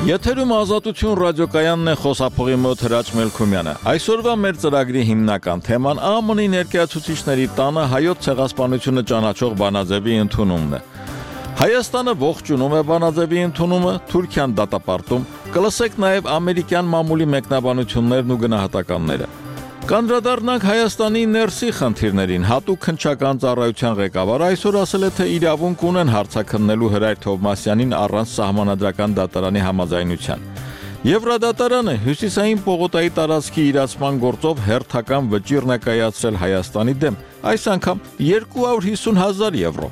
Եթերում Ազատություն ռադիոկայանն է, խոսափողի մոտ Հրաչ Մելքումյանը։ Այսօրվա մեր ծրագրի հիմնական թեման ԱՄՆ-ի ներկայացուցիչների տանը հայոց ցեղասպանությունը ճանաչող բանաձևի ընդունումն է։ Հայաստանը ողջունում է բանաձևի ընդունումը, Թուրքիան դատապարտում, կլսեք նաև ամերիկյան մամուլի մեկնաբանություններն ու գնահատականները։ Կանդրադառնանք Հայաստանի ներսի խնդիրներին, հատուկ քննչական ծառայության ղեկավարը այսօր ասել է, թե իրավունք ունեն հարցաքննելու Հրայր Թովմասյանին առանց սահմանադրական դատարանի համաձայնության։ Եվրադատարանը հյուսիսային պողոտայի տարածքի իրացման գործով հերթական վճիռ է կայացրել Հայաստանի դեմ, այս անգամ 250,000 եվրո։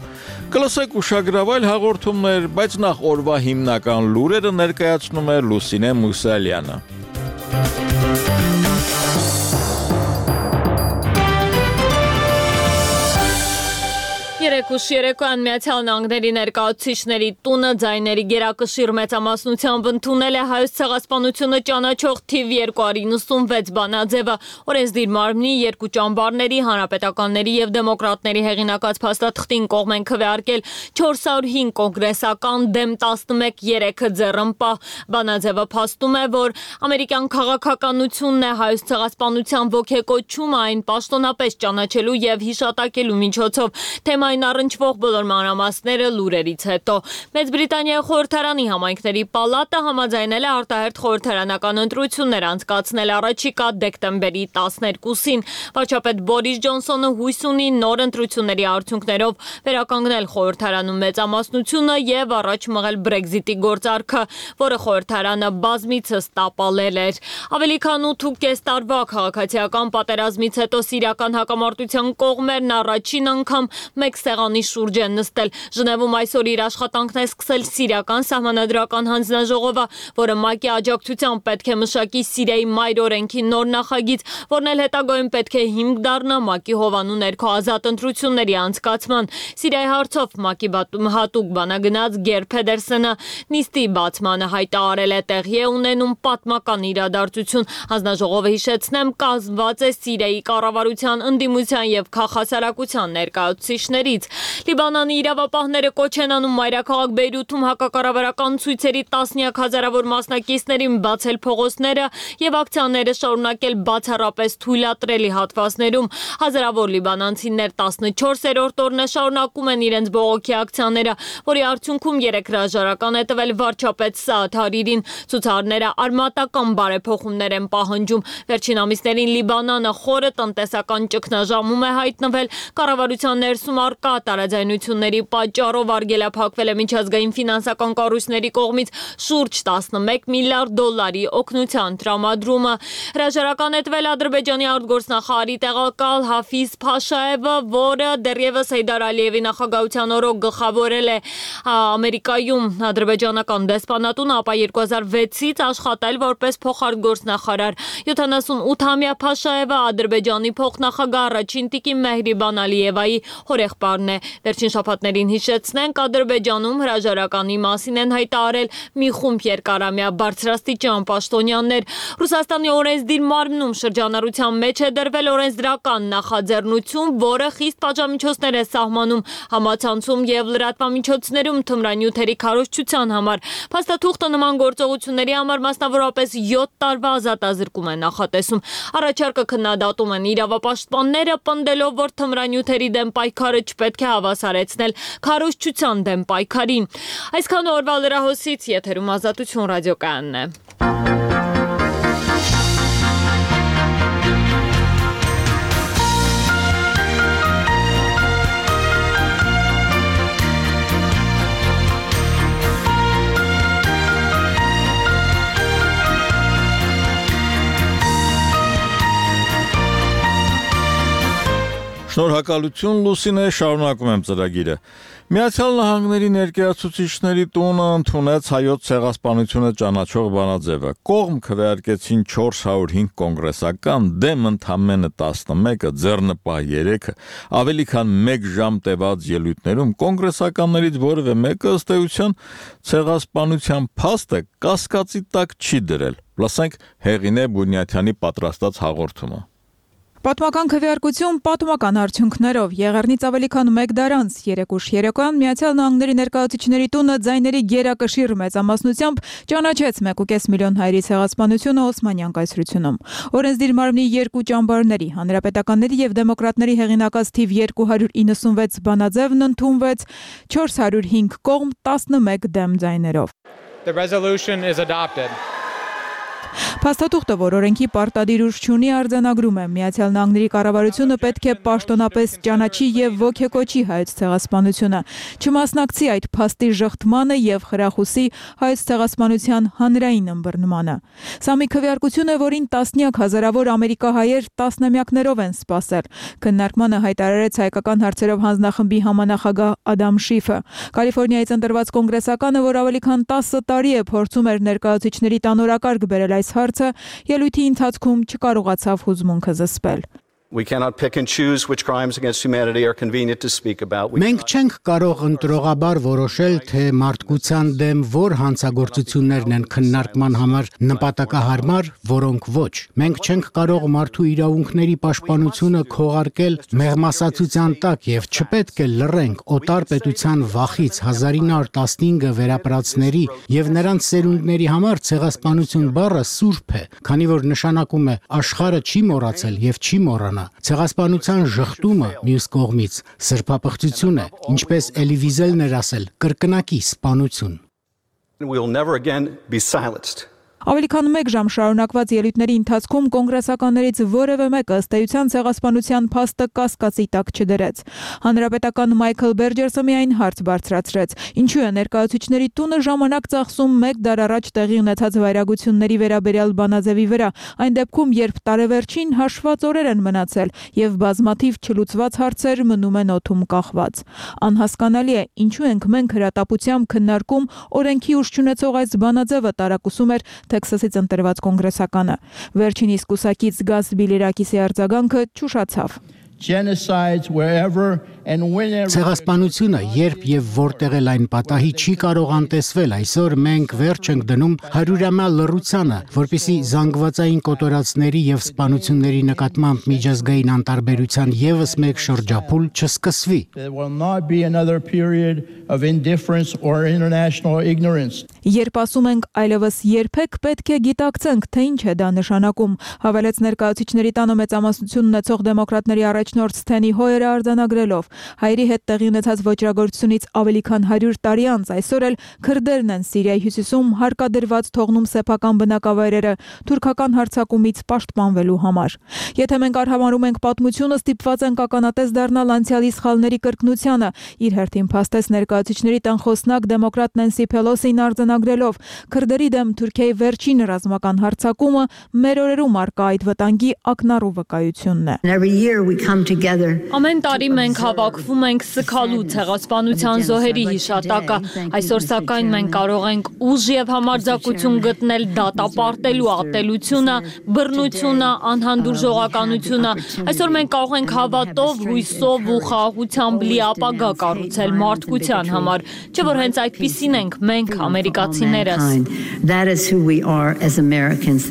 Կլսեք ուշագրավայր հաղորդումներ, բայց նախ օրվա հիմնական լուրերը ներկայացնում է Լուսինե Մուսալյանը։ Երեկոյան Միացյալ Նահանգների ներկայացուցիչների տունը ձայների գերակշիռ մեծամասնությամբ ընդունել է հայոց ցեղասպանությունը ճանաչող թիվ 296 բանաձևը, օրենսդիր մարմնի երկու ճամբարների, հանրապետականների եւ դեմոկրատների հեղինակած փաստաթղթին կողմ են քվեարկել 405 կոնգրեսական դեմ 11-3 ձեռնպահ։ Բանաձևը փաստում է, որ ամերիկյան քաղաքականությունն է հայոց ցեղասպանության ոգեկոչումը այն պաշտոնապես ճանաչելու եւ հիշատակելու միջոցով։ Թեմային առնչվող բոլոր մանրամասները լուրերից հետո։ Մեծ Բրիտանիայի խորհրդարանի համայնքների պալատը համաձայնել է արտահերթ խորհրդարանական ընտրություններ անցկացնել առաջիկա դեկտեմբերի 12-ին։ Վարչապետ Բորիս Ջոնսոնը հույս ունի նոր ընտրությունների արդյունքներով վերականգնել խորհրդարանում մեծամասնությունը եւ առաջ մղել Brexit-ի գործարքը, որը խորհրդարանը բազմիցս տապալել էր։ Ավելի քան 8.5 տարվա քաղաքացիական պատերազմից հետո սիրիական հակամարտության կողմերն առաջին անգամ մեկ սեղանի շուրջ են նստել։ Ժնևում այսօր իր աշխատանքն է սկսել սիրիական սահմանադրական հանձնաժողովը, որը ՄԱԿ-ի աջակցությամբ պետք է մշակի Սիրիայի մայր օրենքի նոր նախագիծ, որն էլ հետագայում պետք է հիմք դառնա ՄԱԿ-ի հովանու ներքո ազատ ընտրությունների անցկացման։ Սիրիայի հարցով ՄԱԿ-ի հատուկ բանագնաց Գեր Փեդերսենը նիստի բացմանը հայտարարել է, տեղի է ունենում պատմական իրադարձություն։ Հանձնաժողովը, հիշեցնեմ, կազմված է Սիրիայի կառավարության, ընդդիմության եւ քաղաքասարակության ներկայացուցիչներից։ Լիբանանի իրավապահները կոչ են անում մայրաքաղաք Բեյրութում հակակառավարական ցույցերի տասնյակ հազարավոր մասնակիցներին բացել փողոցները եւ ակցիաները շարունակել բացառապես թույլատրելի հատվածներում։ Հազարավոր լիբանանցիներ 14-րդ օրն է շարունակում են իրենց բողոքի ակցիաները, որի արդյունքում 3 հրաժարական է տվել վարչապետ Սաադ Հարիրին։ Ցուցարարները արմատական բարեփոխումներ են պահանջում։ Վերջին ամիսներին Լիբանանը խորը տնտեսական ճգնաժամում է հայտնվել։ Կառավարության ներսում առկա տարաձայնությունների պատճառով արգելափակվել է միջազգային ֆինանսական կառույցների կողմից շուրջ 11 միլիարդ դոլարի օգնության տրամադրումը։ Հրաժարական է տվել Ադրբեջանի արտգործնախարարի տեղակալ Հաֆիզ Փաշաևը, որը դեռևս Հեյդար Ալիևի նախագահության օրոք գլխավորել է Ամերիկայում ադրբեջանական դեսպանատունը, ապա 2006-ից աշխատել որպես փոխարտգործնախարար։ 78-ամյա Փաշաևը Ադրբեջանի փոխնախագահ առաջին տիկին Մեհրիբան Ալիևայի հորեղբայրն է։ Վերջին շաբաթներին հիշեցնենք, Ադրբեջանում հրաժարականի մասին են հայտարարել մի խումբ երկարամյա բարձրաստիճան պաշտոնյաներ։ Ռուսաստանի օրենսդիր մարմնում շրջանառության մեջ է դրվել օրենսդրական նախաձեռնություն, որը խիստ պատժամիջոցներ է սահմանում համացանցում եւ լրատվամիջոցներում թմրանյութերի քարոզչության համար։ Փաստաթուղթը նման գործողությունների համար մասնավորապես 7 տարվա ազատազրկում է նախատեսում։ Առաջարկը քննադատում են իրավապաշտպանները, պնդելով, որ թմրանյութերի դեմ պայքարը չպետք է հավասարեցնել քարոզչության դեմ պայքարին։ Այսքան օրվա լրահոսից եթերում Ազատություն ռադիոկայանն է։ Շնորհակալություն Լուսինե, շարունակում եմ ծրագիրը։ Միացյալ Նահանգների ներկայացուցիչների տունը ընդունեց հայոց ցեղասպանությունը ճանաչող բանաձևը։ Կողմ քվեարկեցին 405 կոնգրեսական, դեմ ընդամենը 11-ը, ձեռնպահ 3-ը։ Ավելի քան 1 ժամ տևած ելույթներում կոնգրեսականներից որևէ մեկը ըստ էության ցեղասպանության փաստը կասկածի տակ չի դրել։ Լսենք Հեղինե Բունյաթյանի պատրաստած հաղորդումը։ Պատմական քվեարկություն պատմական արդյունքներով Եղեռնից ավելի քան 1 դար անց երեկուշ երեկոյան Միացյալ Նահանգների ներկայացուցիչների տունը ձայների գերակշիռ մեծամասնությամբ ճանաչեց 1.5 միլիոն հայերի ցեղասպանությունը Օսմանյան կայսրությունում։ Օրենսդիր մարմնի երկու ճամբարների, հանրապետականների եւ դեմոկրատների հեղինակած թիվ 296 բանաձևն ընդունվեց 405 կողմ 11 դեմ ձայներով։ The resolution is adopted. Փաստաթուղթը, որ օրենքի պարտադիր ուժ չունի, արձանագրում է Միացյալ Նահանգների կառավարությունը պետք է պաշտոնապես ճանաչի եւ ոգեկոչի հայոց ցեղասպանությունը, չմասնակցի այդ փաստի ժխտմանը եւ խրախուսի հայոց ցեղասպանության հանրային ըմբռնմանը։ Սա մի քվեարկություն է, որին տասնյակ հազարավոր ամերիկահայեր տասնամյակներով են սպասել։ Քննարկմանը հայտարարեց հայկական հարցերով հանձնախմբի համանախագահ Ադամ Շիֆը։ Կալիֆոռնիայից ընտրված կոնգրեսականը, որ ավելի քան 10 տարի է փորձում էր ներկայացուցիչների տանորակարգ բերել այս հարցը, ելույթի ընթացքում չկարողացավ հուզմունքը զսպել։ We cannot pick and choose which crimes against humanity are convenient to speak about. Մենք չենք կարող ընտրողաբար որոշել, թե մարդկության դեմ որ հանցագործություններն են քննարկման համար նպատակահարմար, որոնք ոչ։ Մենք չենք կարող մարդու իրավունքների պաշտպանությունը քողարկել մեղմասացության տակ եւ չպետք է լռենք օտար պետության վախից 1915 վերապրածների եւ նրանց սերունդների համար ցեղասպանություն բառը սուրբ է, քանի որ նշանակում է աշխարհը չի մոռացել եւ չի մոռանա։ Ցեղասպանության ժխտումը մյուս կողմից սրբապղծություն է, ինչպես Էլի Վիզելն էր ասել, կրկնակի սպանություն։ We will never again be silenced. Ավելի քան 1 ժամ շարունակված ելույթների ընթացքում կոնգրեսականներից որևէ մեկը ըստ էության ցեղասպանության փաստը կասկածի տակ չդրեց։ Հանրապետական Մայքլ Բերջերսը միայն հարց բարձրացրեց. ինչու է ներկայացուցիչների տունը ժամանակ ծախսում 1 դար առաջ տեղի ունեցած վայրագությունների վերաբերյալ բանաձևի վրա, այն դեպքում, երբ տարեվերջին հաշված օրեր են մնացել եւ բազմաթիվ չլուծված հարցեր մնում են օդում կախված։ Անհասկանալի է, ինչու ենք մենք հրատապությամբ քննարկում օրենքի ուժ չունեցող այս բանաձևը, տարակուսում էր Տեքսասից ընտրված կոնգրեսականը։ Վերջինիս կուսակից Գաս Բիլիրակիսի արձագանքը չուշացավ։ Ցեղասպանությունը երբ եւ որտեղ էլ այն պատահի չի կարող անտեսվել, այսօր մենք վերջ ենք դնում հարյուրամյա լռությանը, որպեսզի զանգվածային կոտորածների եւ սպանությունների նկատմամբ միջազգային անտարբերության եւս մեկ շրջափուլ չսկսվի։ Երբ ասում ենք այլևս երբեք պետք է գիտակցենք, թե ինչ է դա նշանակում, հավելեց ներկայացուցիչների տանը մեծամասնություն ունեցող դեմոկրատների առաջնորդ Սթենի Հոյերը արձանագրելով. հայերի հետ տեղի ունեցած ոճրագործությունից ավելի քան 100 տարի անց այսօր էլ քրդերն են Սիրիայի հյուսիսում հարկադրված թողնում սեփական բնակավայրերը թուրքական հարձակումից պաշտպանվելու համար։ Եթե մենք արհամարհում ենք պատմությունը, ստիպված ենք ականատես դառնալ անցյալի սխալների կրկնությանը, իր հերթին փաստեց ներկայացուցիչների տան խոսնակ դեմոկրատ Նենսի Փելոսին արձանագրելով. քրդերի դեմ Թուրքիայի վերջին ռազմական հարձակումը մեր օրերում առկա այդ վտանգի ակնառու վկայությունն է։ Ամեն տարի մենք հավաքվում ենք սգալու ցեղասպանության զոհերի հիշատակը։ Այսօր սակայն մենք կարող ենք ուժ եւ համարձակություն գտնել դատապարտելու ատելությունը, բռնությունը, անհանդուրժողականությունը։ Այսօր մենք կարող ենք հավատով, հույսով ու խաղաղությամբ լի ապագա կառուցել մարդկության համար, չէ՞ որ հենց այդպիսին ենք մենք ամերիկացիներս։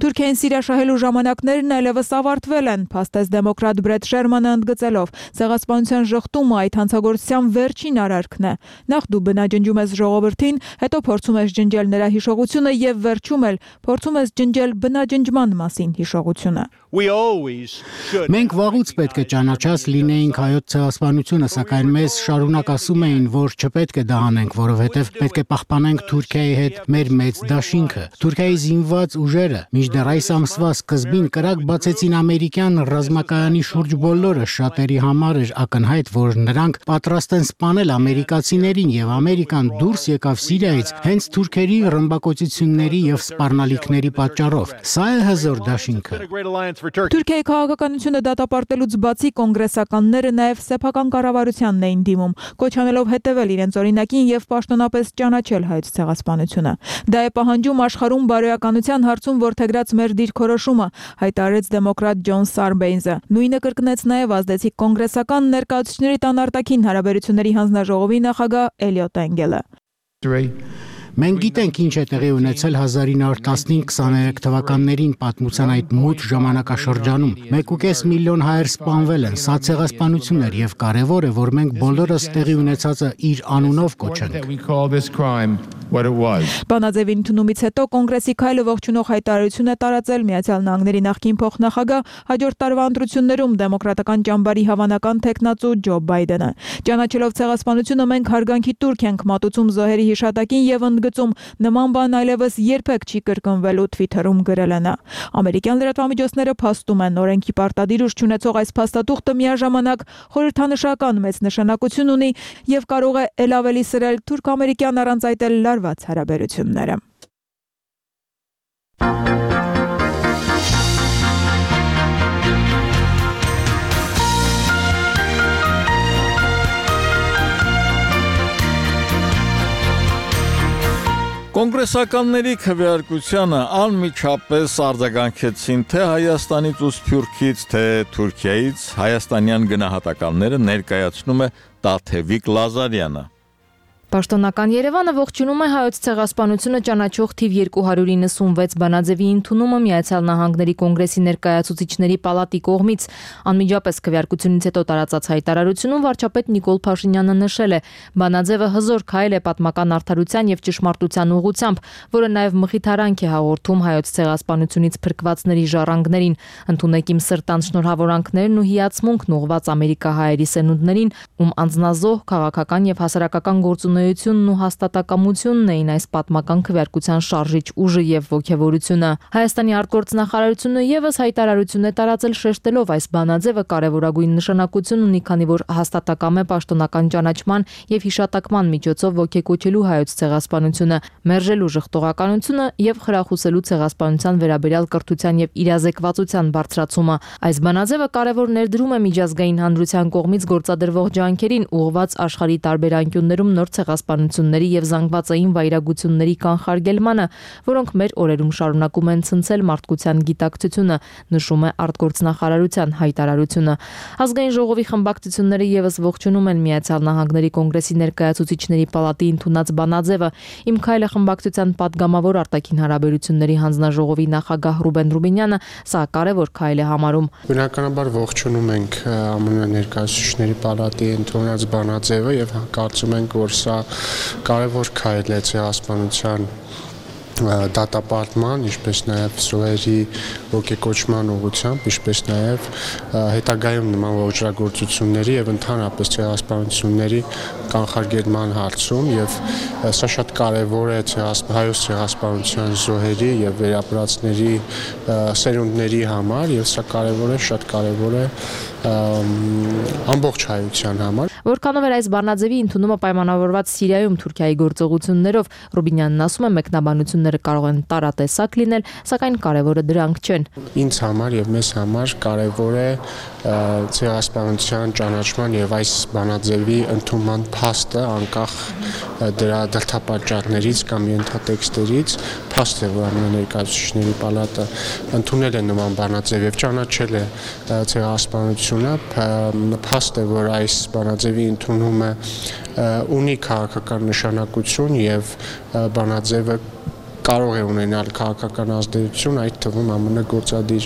Թուրքիային սիրաշահելու ժամանակներն այլևս ավարտվել են, փաստեց դեմոկրատ Բրեդ Շերմանը ընդգծելով. ցեղասպանության ժխտումը այդ հանցագործության վերջին արարքն է։ Նախ դու բնաջնջում ես ժողովրդին, հետո փորձում ես ջնջել նրա հիշողությունը եւ վերջում էլ փորձում ես ջնջել բնաջնջման մասին հիշողությունը։ Մենք վաղուց պետք է ճանաչած լինեինք հայոց ցեղասպանությունը, սակայն մեզ շարունակ ասում էին, որ չպետք է դա անենք, որովհետև պետք է պահպանենք Թուրքիայի հետ մեր մեծ դաշինքը։ Թուրքիայի զինված ուժերը մինչդեռ այս ամսվա սկզբին կրակ բացեցին ամերիկյան ռազմակայանի շուրջ բոլորը, շատերի համար էր ակնհայտ, որ նրանք պատրաստ են սպանել ամերիկացիներին եւ Ամերիկան դուրս եկավ Սիրիայից հենց թուրքերի ռմբակոծությունների եւ սպառնալիքների պատճառով։ Սա է հզոր դաշինքը։ Թուրքիայի քաղաքականությունը դատապարտելուց բացի կոնգրեսականները նաև սեփական կառավարությանն էին դիմում, կոչ անելով հետևել իրենց օրինակին եւ պաշտոնապես ճանաչել հայոց ցեղասպանությունը։ Դա է պահանջում աշխարհում բարոյականության հարցում որդեգրած մեր դիրքորոշումը, հայտարարեց դեմոկրատ Ջոն Սարբեյնզը։ Նույնը կրկնեց նաև ազդեցիկ կոնգրեսական ներկայացուցիչների տան արտաքին հարաբերությունների հանձնաժողովի նախագահ Էլիոտ Էնգելը։ Մենք գիտենք ինչ է տեղի ունեցել 1915-23 թվականներին պատմության այդ մութ ժամանակաշրջանում։ 1.5 միլիոն հայեր սպանվել են, սա ցեղասպանություն էր եւ կարեւոր է, որ մենք բոլորս տեղի ունեցածը իր անունով կոչենք։ Բանաձևի ընդունումից հետո կոնգրեսի քայլը ողջունող հայտարարություն է տարածել Միացյալ Նահանգների նախկին փոխնախագահ, հաջորդ տարվա ընտրություններում դեմոկրատական ճամբարի հավանական թեկնածու Ջո Բայդենը։ Ճանաչելով ցեղասպանությունը մենք հարգանքի տուրք ենք մատուցում զոհերի հիշատակին եւ ընդգծում նման բան այլևս երբեք չի կրկնվելու, Twitter-ում գրել է նա։ Ամերիկյան լրատվամիջոցները փաստում են, օրենքի պարտադիր ուժ չունեցող այս փաստաթուղթը միաժամանակ խորհրդանշական մեծ նշանակություն ունի եւ կարող է ել ավելի սրել թուրք-ամերիկյան առանց այդ էլ լարված հարաբերությունները։ Կոնգրեսականների քվեարկությանը անմիջապես արձագանքեցին թե Հայաստանից ու Սփյուռքից, թե Թուրքիայից հայաստանյան գնահատականները ներկայացնում է Տաթևիկ Լազարյանը։ Պաշտոնական Երևանը ողջունում է հայոց ցեղասպանությունը ճանաչող թիվ 296 բանաձևի ընդունումը Միացյալ Նահանգների կոնգրեսի ներկայացուցիչների պալատի կողմից։ Անմիջապես քվեարկությունից հետո տարածած հայտարարությունում վարչապետ Նիկոլ Փաշինյանը նշել է. բանաձևը հզոր քայլ է պատմական արդարության եւ ճշմարտության ուղղությամբ, որը նաեւ մխիթարանք է հաղորդում հայոց ցեղասպանությունից փրկվածների ժառանգներին։ Ընդունեք իմ սրտան շնորհավորանքներն ու հիացմունքն ուղղված ամերիկահայերի սերունդներին, ում անձնազոհ քաղաքական եւ հասարակական գործունեությունն ու հաստատակամությունն էին այս պատմական քվեարկության շարժիչ ուժը եւ ոգևորությունը։ Հայաստանի արտգործնախարարությունը եւս հայտարարություն է տարածել շեշտելով այս բանաձևը կարևորագույն նշանակություն ունի, քանի որ հաստատակամ է պաշտոնական ճանաչման եւ հիշատակման միջոցով ոգեկոչելու հայոց ցեղասպանությունը, մերժելու ժխտողականությունը եւ խրախուսելու ցեղասպանության վերաբերյալ կրթության եւ իրազեկվածության բարձրացումը։ Այս բանաձևը կարևոր ներդրում է միջազգային հանրության կողմից գործադրվող ջանքերին ուղղված աշխարհի տարբեր անկյուններում նոր ցեղասպանությունների եւ զանգվածային վայրագությունների կանխարգելմանը, որոնք մեր օրերում շարունակում են ցնցել մարդկության գիտակցությունը, նշում է արտգործնախարարության հայտարարությունը։ Ազգային ժողովի խմբակցությունները եւս ողջունում են Միացյալ Նահանգների կոնգրեսի ներկայացուցիչների պալատի ընդունած բանաձևը։ Իմ քայլը խմբակցության падգամավոր արտաքին հարաբերությունների հանձնաժողովի նախագահ Ռուբեն Ռուբինյանը սա կարևոր քայլ է համարում։ Բնականաբար ողջունում ենք ԱՄՆ ներկայացուցիչների պալատի ընդունած բանաձևը եւ կարծում ենք, որ սա կարևոր քայլ է ցեղասպանության դատապարտման, ինչպես նաև զոհերի ոգեկոչման ուղղությամբ, ինչպես նաև հետագայում նման ոճրագործությունների եւ ընդհանրապես ցեղասպանությունների կանխարգելման հարցում եւ սա շատ կարեւոր է հայոց ցեղասպանության զոհերի եւ վերապրածների սերունդների համար եւ սա շատ կարեւոր է ամբողջ հայության համար։ Որքանով էր այս բանաձևի ընդունումը պայմանավորված Սիրիայում Թուրքիայի գործողություններով, Ռուբինյանն ասում է, մեկնաբանությունները կարող են տարատեսակ լինել, սակայն կարևորը դրանք չեն։ Ինձ համար եւ մեզ համար կարևոր է ցեղասպանության ճանաչման եւ այս բանաձևի ընդունման փաստը, անկախ դրա դրդապատճառներից կամ ենթատեքստերից, փաստ է, որ ԱՄՆ ներկայացուցիչների պալատը ընդունել է նման բանաձև եւ ճանաչել է ցեղասպանությունը, փաստ է, որ այս բանաձևի ընդունումը ունի քաղաքական նշանակություն եւ բանաձևը կարող է ունենալ քաղաքական ազդեցություն, այդ թվում ԱՄՆ գործադիր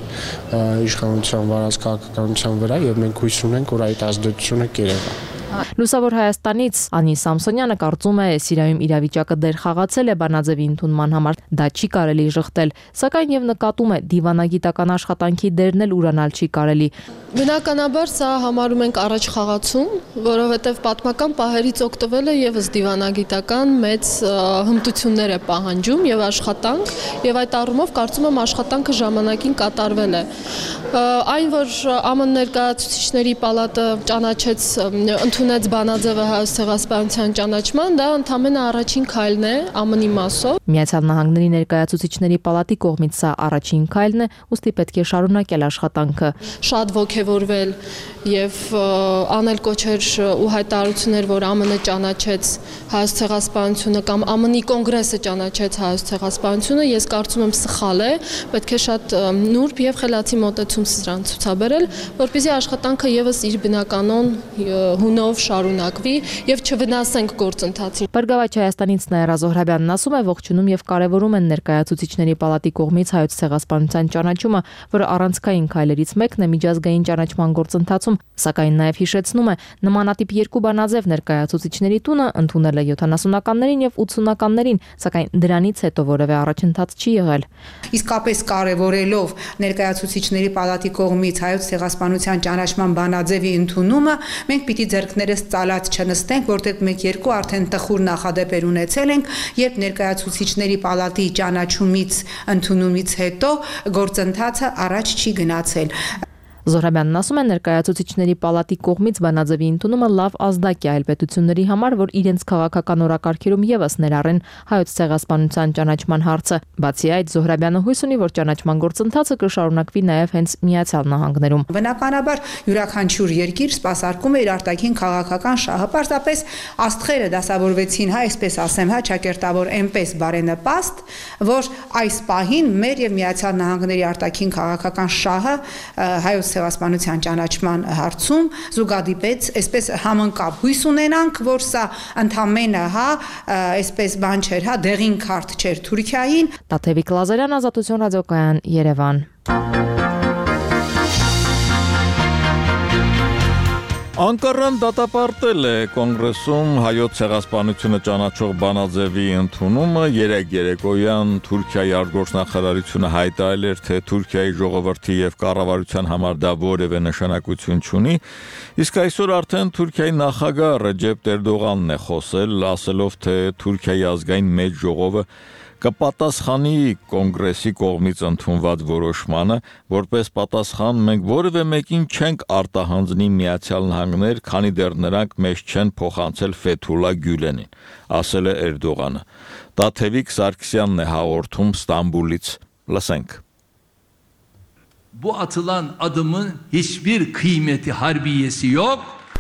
իշխանության վարած քաղաքականության վրա եւ մենք հույս ունենք, որ այդ ազդեցությունը կերևա։ Լուսավոր Հայաստանից Անի Սամսոնյանը կարծում է, Սիրիայում իրավիճակը դեր խաղացել է բանաձևի ընդունման համար, դա չի կարելի ժխտել, սակայն եւ նկատում է դիվանագիտական աշխատանքի դերն էլ ուրանալ չի կարելի։ Բնականաբար սա համարում ենք առաջ խաղացում, որովհետեւ պատմական պահերից օգտվելը եւս դիվանագիտական մեծ հմտություններ է պահանջում եւ աշխատանք, եւ այդ առումով կարծում եմ աշխատանքը ժամանակին կատարվել է։ Այն, որ ԱՄՆ ներկայացուցիչների պալատը ճանաչեց ընդունեց բանաձևը հայոց ցեղասպանության ճանաչման, դա ընդամենը առաջին քայլն է ԱՄՆ-ի մասով։ Միացյալ Նահանգների ներկայացուցիչների պալատի կողմից սա առաջին քայլն է, ուստի պետք է շարունակել աշխատանքը։ Շատ ոգևորվել եւ անել կոչեր ու հայտարարություններ, որ ԱՄՆ ճանաչեց հայոց ցեղասպանությունը կամ ԱՄՆ-ի կոնգրեսը ճանաչեց հայոց ցեղասպանությունը, ես կարծում եմ սխալ է, պետք է շատ նուրբ եւ խելացի մոտեցում սրան ցուցաբերել, որպեսզի աշխատանքը եւս իր բնականon հունով ուղղությամբ շարունակվի եւ չվնասենք գործընթացին։ Բարգավաճ Հայաստանից Նաիրա Զոհրաբյանն ասում է, ողջունում եւ կարեւորում են ներկայացուցիչների պալատի կողմից հայոց ցեղասպանության ճանաչումը, որը առանցքային քայլերից մեկն է միջազգային ճանաչման գործընթացում, սակայն նաեւ հիշեցնում է, նմանատիպ երկու բանաձև ներկայացուցիչների տունը ընդունել է 70-ականներին եւ 80-ականներին, սակայն դրանից հետո որևէ առաջընթաց չի եղել։ Իսկապես կարևորելով ներկայացուցիչների պալատի կողմից հայոց ցեղասպանության ճանաչման բանաձևի ընդունումը, մենք պիտի ձեռքներս ծալած չնստենք, որտեղ մենք երկու արդեն տխուր նախադեպեր ունեցել ենք, երբ ներկայացուցիչների պալատի ճանաչումից ընդունումից հետո գործընթացը առաջ չի գնացել։ Զոհրաբյանն ասում է, ներկայացուցիչների պալատի կողմից բանաձևի ընդունումը լավ ազդակ է այլ պետությունների համար, որ իրենց քաղաքական օրակարգերում եւս ներառեն հայոց ցեղասպանության ճանաչման հարցը։ Բացի այդ, Զոհրաբյանը հույս ունի, որ ճանաչման գործընթացը կշարունակվի նաեւ հենց Միացյալ Նահանգներում։ Բնականաբար յուրաքանչյուր երկիր սպասարկում է իր արտաքին քաղաքական շահը, պարզապես աստղերը դասավորվեցին, այսպես ասեմ, ճակերտավոր այնպես բարենպաստ, որ այս պահին մեր եւ Միացյալ Նահանգների արտաքին քաղաքական շահը հայոց ցեղասպանության ճանաչման հարցում զուգադիպեց, այսպես համընկավ։ Հույս ունենանք, որ սա ընդամենը, այսպես բան չէր, դեղին քարտ չէր Թուրքիային։ Տաթևիկ Լազարյան, Ազատություն ռադիոկայան, Երևան։ Անկարան դատապարտել է կոնգրեսում հայոց ցեղասպանությունը ճանաչող բանաձևի ընդունումը, երեկ երեկոյան Թուրքիայի արտգործնախարարությունը հայտարարել էր, թե Թուրքիայի ժողովրդի եւ կառավարության համար դա որևէ նշանակություն չունի, իսկ այսօր արդեն Թուրքիայի նախագահ Ռեջեփ Էրդողանն է խոսել, ասելով, թե Թուրքիայի ազգային մեծ ժողովը կպատասխանի կոնգրեսի կողմից ընդունված որոշմանը, որպես պատասխան մենք որևէ մեկին չենք արտահանձնի Միացյալ Նահանգներ, քանի դեռ նրանք մեզ չեն փոխանցել Ֆեթուլա Գյուլենին, ասել է Էրդողանը։ Տաթևիկ Սարգսյանն է հաղորդում Ստամբուլից։ Լսենք։ Bu atılan adımın hiçbir kıymeti harbiyesi yok.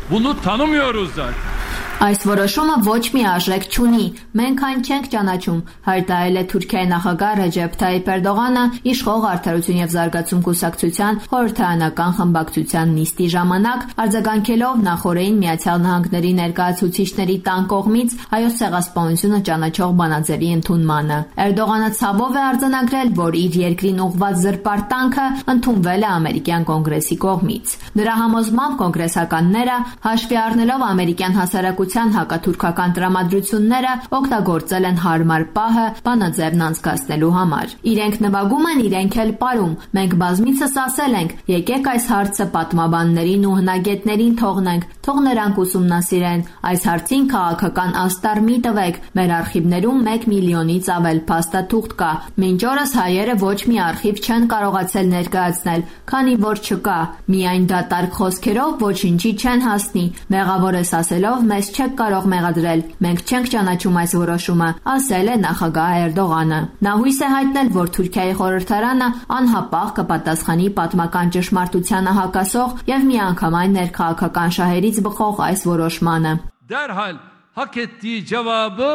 Bunu tanımıyoruz zaten. Այս որոշումը ոչ մի արժեք չունի, մենք այն չենք ճանաչում, հայտարարել է Թուրքիայի նախագահ Ռեջեփ Թայիփ Էրդողանը իշխող Արդարություն եւ Զարգացում կուսակցության խորհրդարանական խմբակցության նիստի ժամանակ, արձագանքելով նախորդին Միացյալ Նահանգների ներկայացուցիչների տան կողմից հայոց ցեղասպանությունը ճանաչող բանաձևի ընդունմանը։ Էրդողանը ցավով է արձանագրել, որ իր երկրին ուղղված զրպարտանքը ընդունվել է ամերիկյան կոնգրեսի կողմից։ Նրա համոզմամբ կոնգրեսականները հաշվի առնելով ամերիկյան հասարակության հակաթուրքական տրամադրությունները օգտագործել են հարմար պահը բանաձևն անցկացնելու համար։ Իրենք նվագում են, իրենք էլ պարում։ Մենք բազմիցս ասել ենք, եկեք այս հարցը պատմաբաններին ու հնագետներին թողնենք, թող նրանք ուսումնասիրեն։ Այս հարցին քաղաքական աստար մի տվեք։ Մեր արխիվներում 1 միլիոնից ավել փաստաթուղթ կա։ Մինչ օրս հայերը ոչ մի արխիվ չեն կարողացել ներկայացնել, քանի որ չկա։ Միայն դատարկ խոսքերով ոչինչի չեն հասնի։ Մեղավոր ես ասելով մեզ չեք կարող մեղադրել։ Մենք չենք ճանաչում այս որոշումը, ասել է նախագահ Էրդողանը։ Նա հույս է հայտնել, որ Թուրքիայի խորհրդարանը անհապաղ կպատասխանի պատմական ճշմարտությանը հակասող եւ միանգամայն ներքաղաքական շահերից բխող այս որոշմանը։ Derhal hak ettiği cevabı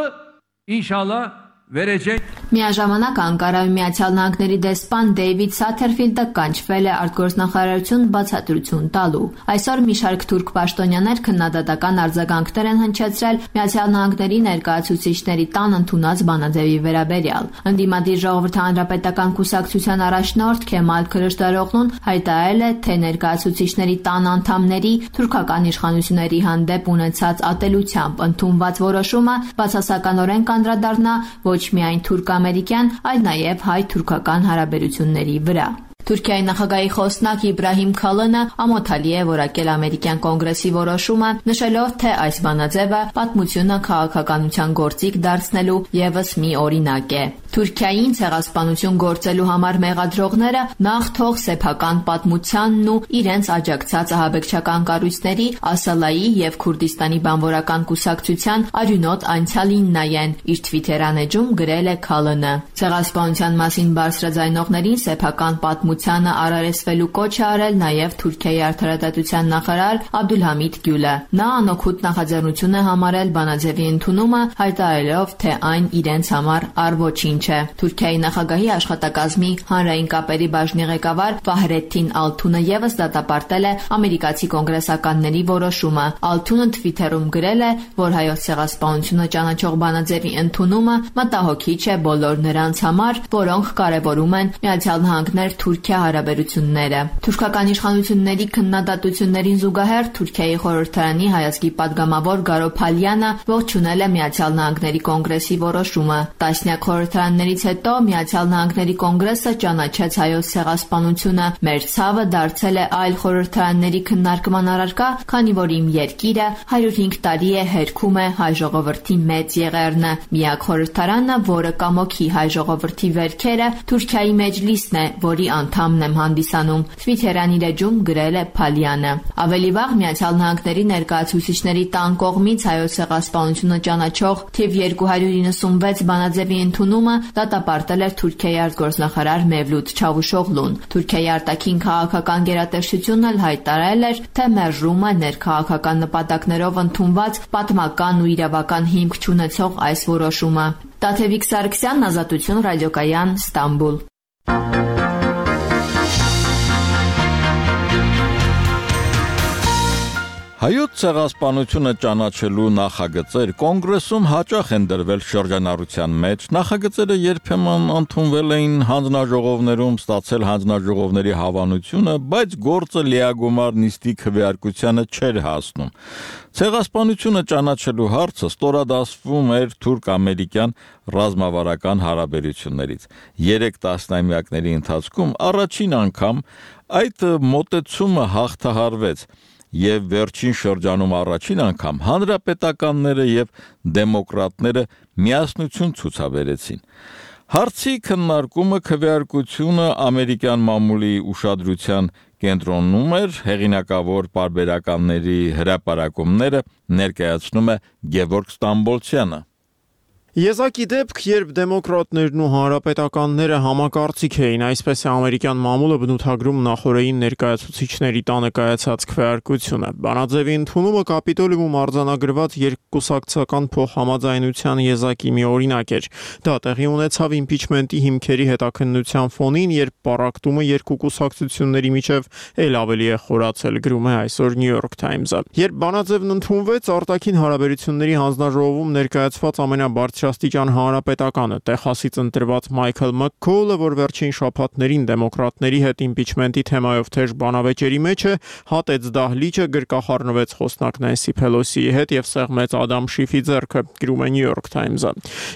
inşallah verecek. Միաժամանակ Անկարայում Միացյալ Նահանգների դեսպան Դեյվիդ Սաթերֆիլդը կանչվել է արտգործնախարարություն բացատրություն տալու։ Այսօր մի շարք թուրք պաշտոնյաներ քննադատական արձագանքներ են հնչեցրել Միացյալ Նահանգների ներկայացուցիչների տան ընդունած բանաձևի վերաբերյալ։ Ընդդիմադիր Ժողովրդի հանրապետական կուսակցության առաջնորդ Քեմալ Քլիշդարօղլուն հայտարարել է, թե ներկայացուցիչների տան անդամների թուրքական իշխանությունների հանդեպ ունեցած ատելությամբ ընդունված որոշումը բացասականորեն կանդրադառնա ոչ միայն թուրք-ամերիկյան, այլ նաև հայ-թուրքական հարաբերությունների վրա։ Թուրքիայի նախագահի խոսնակ Իբրահիմ Քալոնը ամոթալի է որակել ամերիկյան կոնգրեսի որոշումը, նշելով, թե այս բանաձևը պատմությունը քաղաքականության գործիք դարձնելու եւս մի օրինակ է։ Թուրքիային ցեղասպանություն գործելու համար մեղադրողները նախ թող սեփական պատմությանն ու իրենց աջակցած ահաբեկչական կառույցների Ասալայի եւ Քուրդիստանի բանվորական կուսակցության արյունոտ անցյալին նայեն, իր Twitter-ան էջում գրել է Քալոնը։ Ցեղասպանության մասին բարձրաձայնողներին սեփական պատմությանը արարեցվելու կոչ է արել նաև Թուրքիայի արդարադատության նախարար Աբդուլհամիդ Գյուլը։ Նա անօգուտ նախաձեռնություն է համարել բանաձևի ընդունումը, հայտարարելով, թե այն իրենց համար առ ոչինչ չէ։ Թուրքիայի նախագահի աշխատակազմի հանրային կապերի բաժնի ղեկավար Ֆահրեդդին Ալթունը եւս դատապարտել է ամերիկացի կոնգրեսականների որոշումը։ Ալթունը Twitter-ում գրել է, որ հայոց ցեղասպանությունը ճանաչող բանաձևի ընդունումը մտահոգիչ է բոլոր նրանց համար, որոնք կարևորում են Միացյալ Նահանգներ-Թուրքիա հարաբերությունները։ Թուրքական իշխանությունների քննադատություններին զուգահեռ Թուրքիայի խորհրդարանի հայազգի падգամավոր Գարո Փալյանը ողջունել է Միացյալ Նահանգների կոնգրեսի որոշումը։ Տասնյակ խորհրդարաններից հետո Միացյալ Նահանգների կոնգրեսը ճանաչեց հայոց ցեղասպանությունը։ Մեր ցավը դարձել է այլ խորհրդարանների քննարկման առարկա, քանի որ իմ երկիրը 105 տարի է հերքում է հայ ժողովրդի մեծ եղերնը։ Միակ խորհրդարանը, որը կամոքի հայ ժողովրդի վերքերը, Թուրքիայի մեջլիսն է, որի անդամն եմ հանդիսանում։ Twitter-յան իր էջում գրել է Փալյանը։ Ավելի վաղ Միացյալ Նահանգների ներկայացուցիչների տան կողմից հայոց ցեղասպանությունը ճանաչող թիվ 296 բանաձևի ընդունումը դատապարտել էր Թուրքիայի արտգործնախարար Մևլութ Չավուշօղլուն։ Թուրքիայի արտաքին քաղաքական գերատեսչությունն էլ հայտարարել էր, թե մերժում է ներքաղաքական նպատակներով ընդունված պատմական ու իրավական հիմք չունեցող այս որոշումը։ Տաթևիկ Սարգսյան, Ազատություն, Ռադիոկայան, Ստամբուլ։ Հայոց ցեղասպանությունը ճանաչելու նախագծեր կոնգրեսում հաճախ են դրվել շրջանառության մեջ։ Նախագծերը երբեմն ընդունվել էին հանձնաժողովներում, ստացել հանձնաժողովների հավանությունը, բայց գործը լիագումար նիստի քվեարկությանը չէր հասնում։ Ցեղասպանությունը ճանաչելու հարցը ստորադասվում էր թուրք-ամերիկյան ռազմավարական հարաբերություններից։ 3 տասնամյակների ընթացքում առաջին անգամ այդ մոտեցումը հաղթահարվեց եւ վերջին շրջանում առաջին անգամ հանրապետականները եւ դեմոկրատները միասնություն ցուցաբերեցին։ Հարցի քննարկումը քվեարկությունը ամերիկյան մամուլի ուշադրության կենտրոնում էր, հեղինակավոր պարբերականների հրապարակումները ներկայացնում է Գևորգ Ստամբոլցյանը։ Եզակի դեպք, երբ դեմոկրատներն ու հանրապետականները համակարծիք էին, այսպես է ամերիկյան մամուլը բնութագրում նախօրեին ներկայացուցիչների տանը կայացած քվեարկությունը։ Բանաձևի ընդունումը Կապիտոլիում արձանագրված երկկուսակցական փոխհամաձայնության եզակի մի օրինակ էր։ Դա տեղի ունեցավ իմպիչմենտի հիմքերի հետաքննության ֆոնին, երբ պառակտումը երկու կուսակցությունների միջև էլ ավելի է խորացել, գրում է այսօր New York Times-ը։ Երբ բանաձևն ընդունվեց, արտաքին հարաբերությունների հանձնաժողովում ներկայացված ամենաբարձրաստիճան հանրապետականը Տեխասից ընտրված Մայքլ Մաքքոլը, որ վերջին շաբաթներին դեմոկրատների հետ իմպիչմենտի թեմայով թեժ բանավեճերի մեջ է, հատեց դահլիճը, գրկախառնվեց խոսնակ Նենսի Փելոսիի հետ եւ սեղմեց Ադամ Շիֆի ձեռքը, գրում է New York Times-ը։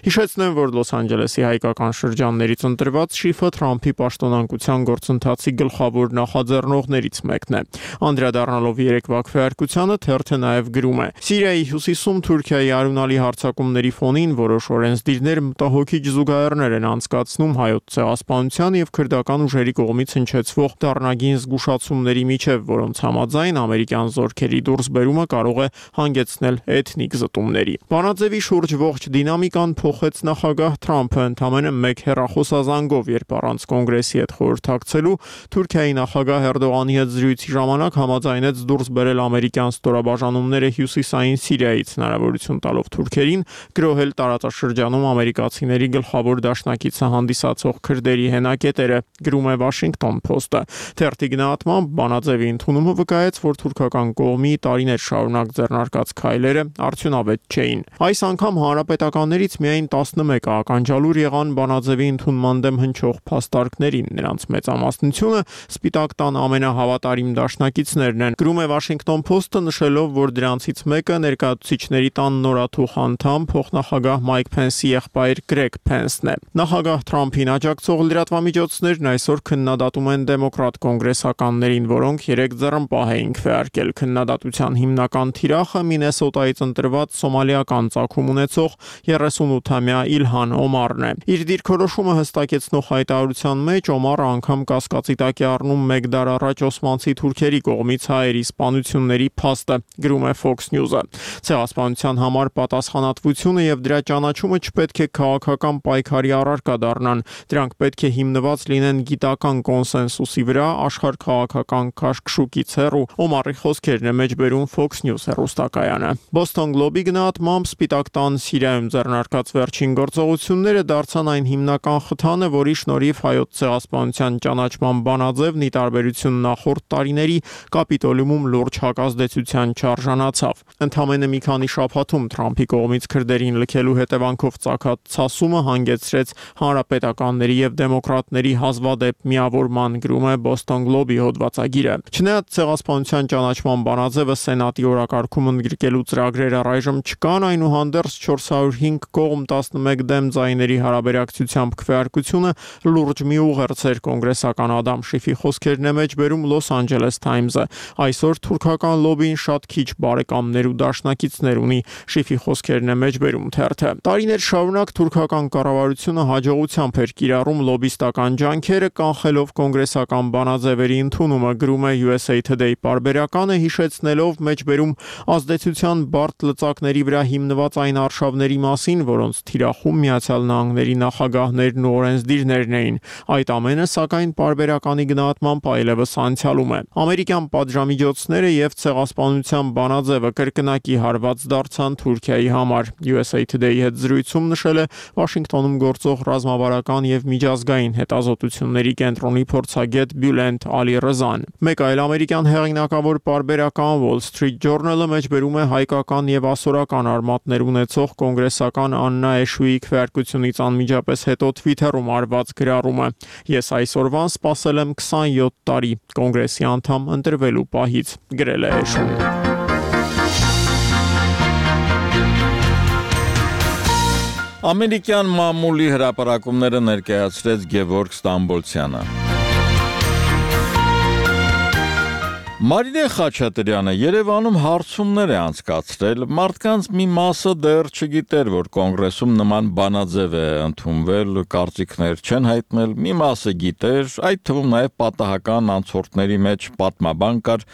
Հիշեցնեմ, որ Լոս Անջելեսի հայկական շրջաններից ընտրված Շիֆը Թրամփի պաշտոնանկության գործընթացի գլխավոր նախաձեռնողներից մեկն է։ Անդրադառնալով երեկվա քվեարկությանը թերթը նաեւ գրում է. Սիրիայի հյուսիսում Թուրքիայի արյունալի հարձակումների ֆոնին որոշ օրենսդիրներ մտահոգիչ զուգահեռներ են անցկացնում հայոց ցեղասպանության եւ քրդական ուժերի կողմից հնչեցվող դառնագին զգուշացումների միջև, որոնց համաձայն ամերիկյան զորքերի դուրսբերումը կարող է հանգեցնել էթնիկ զտումների։ Բանաձևի շուրջ ողջ դինամիկան փոխեց նախագահ Թրամփը ընդամենը մեկ հեռախոսազանգով, երբ առանց կոնգրեսի հետ խորհրդակցելու Թուրքիայի նախագահ Էրդողանի հետ զրույցի ժամանակ համաձայնեց դուրս բերել ամերիկյան ստորաբաժանումները հյուսիսային Սիրիայից, հնարավորություն տալով թուրքերին գրոհել տարածաշրջանում ամերիկացիների գլխավոր դաշնակիցը հանդիսացող քրդերի հենակետերը, գրում է Washington Post-ը։ Թերթի գնահատմամբ բանաձևի ընդունումը վկայեց, որ թուրքական կողմի տարիներ շարունակ ձեռնարկած քայլերը արդյունավետ չէին։ Այս անգամ հանրապետականներից միայն 11 ականջալուր եղան բանաձևի ընդունման դեմ հնչող փաստարկներին։ Նրանց մեծամասնությունը Սպիտակ տան ամենահավատարիմ դաշնակիցներն են, գրում է Washington Post-ը, նշելով, որ դրանցից մեկը ներկայացուցիչների տան նորաթուխ անդամ փոխնախագահ Մայք Փենսի եղբայր Գրեգ Փենսն է։ Նախագահ Թրամփին աջակցող լրատվամիջոցներն այսօր քննադատում են դեմոկրատ կոնգրեսականներին, որոնք 3 ձեռնպահ էին քվեարկել։ Քննադատության հիմնական թիրախը Մինեսոտայից ընտրված սոմալիական ծագում ունեցող 38-ամյա Իլհան Օմարն է։ Իր դիրքորոշումը հստակեցնող հայտարարության մեջ Օմարը անգամ կասկածի տակ է առնում 1 դար առաջ օսմանցի թուրքերի կողմից հայերի սպանությունների փաստը, գրում է Fox News-ը։ Ցեղասպանության համար պատասխանատվությունը եւ դրա ճանաչումը չպետք է քաղաքական պայքարի առարկա դառնան։ Դրանք պետք է հիմնված լինեն գիտական կոնսենսուսի վրա, աշխարհքաղաքական քաշքշուկից հեռու։ Օմարի խոսքերն է մեջբերում Fox News հեռուստակայանը։ Boston Globe-ի գնահատմամբ Սպիտակ տան Սիրիայում ձեռնարկած վերջին գործողությունները դարձան այն հիմնական խթանը, որի շնորհիվ հայոց ցեղասպանության ճանաչման բանաձևն ի տարբերություն նախորդ տարիների Կապիտոլիումում լուրջ հակազդեցության չարժանացավ։ Ընդամենը մի քանի շաբաթում Թրամփի կողմից քրդերին լքելու հետևանքով ծագած ցասումը հանգեցրեց հանրապետականների եւ դեմոկրատների հազվադեպ միավորման, գրում է Boston Globe-ի հոդվածագիրը։ Չնայած ցեղասպանության ճանաչման բանաձևը Սենատի օրակարգում ընդգրկելու ծրագրերը առայժմ չկան, այնուհանդերձ 405 կողմ 11 դեմ ձայների հարաբերակցությամբ քվեարկությունը լուրջ մի ուղերձ էր կոնգրեսական Ադամ Շիֆի խոսքերն է մեջբերում Los Angeles Times-ը։ Այսօր թուրքական լոբին շատ քիչ բարեկամներ ու դաշնակիցներ ունի, Շիֆի խոսքերն է մեջբերում թերթը։ Տարիներ շարունակ թուրքական կառավարությունը հաջողությամբ էր կիրառում լոբիստական ջանքերը, կանխելով կոնգրեսական բանաձևերի ընդունումը, գրում է USA Today պարբերականը, հիշեցնելով մեջբերում ազդեցության բարդ լծակների վրա հիմնված այն արշավների մասին, որոնց թիրախում Միացյալ Նահանգների նախագահներն ու օրենսդիրներն էին։ Այդ ամենը, սակայն, պարբերականի գնահատմամբ այլևս անցյալում է։ Ամերիկյան պատժամիջոցները եւ ցեղասպանության բանաձևը կրկնակի հարված դարձան Թուրքիայի համար։ USA Today-ի հետ զրույցում նշել է Վաշինգտոնում գործող ռազմավարական եւ միջազգային հետազոտությունների կենտրոնի փորձագետ Բյուլենտ Ալի-Ռզան։ Մեկ այլ ամերիկյան հեղինակավոր պարբերական Wall Street Journal-ը մեջբերում է հայկական եւ ասորական արմատներ ունեցող կոնգրեսական Աննա Էշուի քվեարկությունից անմիջապես հետո Twitter-ում արված գրառումը։ Ես այսօրվան սպասել եմ 27 տարի կոնգրեսի անդամ ընտրվելու պահից, գրել է Էշուն։ Ամերիկյան մամուլի հրապարակումները ներկայացրեց Գևորգ Ստամբոլցյանը։ Մարինե Խաչատրյանը Երևանում հարցումներ է անցկացրել, մարդկանց մի մասը դեռ չգիտեր, որ կոնգրեսում նման բանաձև է ընդունվել, կարծիքներ չեն հայտնել, մի մասը գիտեր, այդ թվում նաև պատահական անցորդների մեջ պատմաբան կար։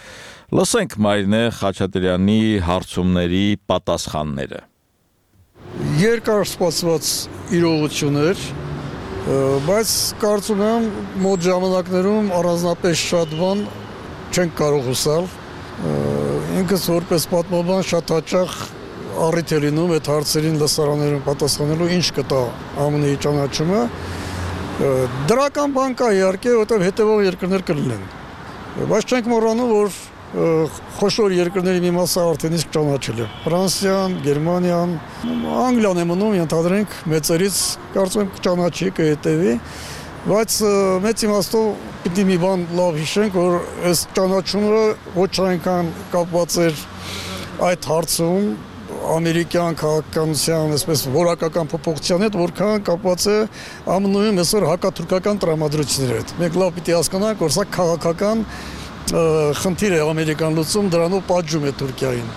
Լսենք Մարինե Խաչատրյանի հարցումների պատասխանները։ Երկար սպասված իրողություն էր, բայց կարծում եմ մոտ ժամանակներում առանձնապես շատ բան չենք կարող հուսալ։ Ինքս որպես պատմաբան շատ հաճախ առիթ է լինում այդ հարցերին լսարաններում պատասխանելու, ինչ կտա ԱՄՆ-ի ճանաչումը։ Դրական բան կա իհարկե, որտեղ հետևող երկրներ կլինեն։ Բայց չենք մոռանում, որ խոշոր երկրների մի մասը արդեն իսկ ճանաչել է։ Ֆրանսիան, Գերմանիան, Անգլիան է մնում, ենթադրենք մեծերից կարծում եմ կճանաչի, կհետևի, բայց մեծ իմաստով պիտի մի բան լավ հիշենք, որ այս ճանաչումը ոչ այնքան կապված էր այդ հարցում ամերիկյան քաղաքականության, այսպես որակական փոփոխության հետ, որքան կապված է ԱՄՆ-ում այսօր հակաթուրքական տրամադրությունների հետ։ Մենք լավ պիտի հասկանանք, որ սա քաղաքական խնդիր է ամերիկան լուծում, դրանով պատժում է Թուրքիային։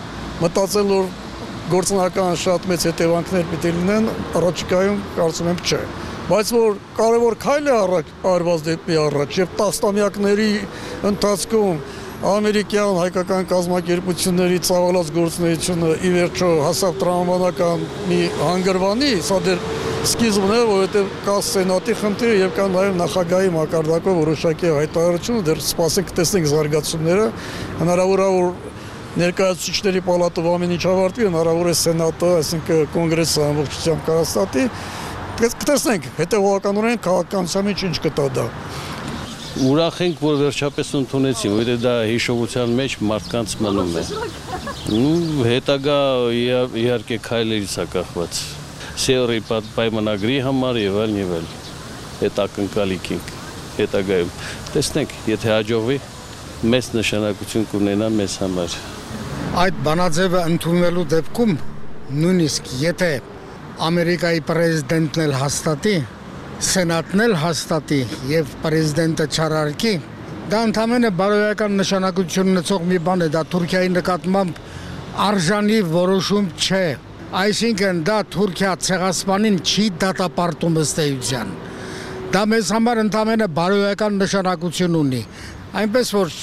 Մտածել, որ գործնական շատ մեծ հետևանքներ պիտի լինեն, առաջիկայում կարծում եմ չէ։ Բայց որ կարևոր քայլ է արված դեպի առաջ եւ տասնամյակների ընթացքում ամերիկյան հայկական կազմակերպությունների ծավալած գործունեությունը ի վերջո հասավ տրամաբանական մի հանգրվանի, սա դեռ սկիզբն է, որովհետև կա սենատի խնդիրը եւ կա նաեւ նախագահի մակարդակով որոշակի հայտարարություն, դեռ սպասենք տեսնենք զարգացումները, հնարավոր է որ ներկայացուցիչների պալատով ամեն ինչ ավարտվի, հնարավոր է սենատը, այսինքն կոնգրեսը ամբողջությամբ կհաստատի, կտեսնենք հետեւողականորեն քաղաքականության մեջ ինչ կտա դա։ Ուրախ ենք, որ վերջապես ընդունեցին, որովհետև դա հիշողության մեջ մարդկանց մնում է։ Հետագա իհարկե քայլերից է կախված։ Սեորի պայմանագրի համար եւ այլն։ Այդ ակնկալիք ենք հետագայում։ Տեսնենք, եթե հաջողվի, մեծ նշանակություն կունենա մեզ համար։ Այդ բանաձևը ընդունելու դեպքում նույնիսկ եթե Ամերիկայի պրեզիդենտն էլ հաստատի, Սենատն էլ հաստատի եւ պրեզիդենտը չարարքի, դա ընդհանրապես բարոյական նշանակություն ունեցող մի բան է, դա Թուրքիայի նկատմամբ արժանի որոշում չէ։ Այսինքն դա Թուրքիա ցեղասպանին չի դատապարտում ըստ էության։ Դա մեզ համար ընդհանրապես բարոյական նշանակություն ունի։ Այնպես որ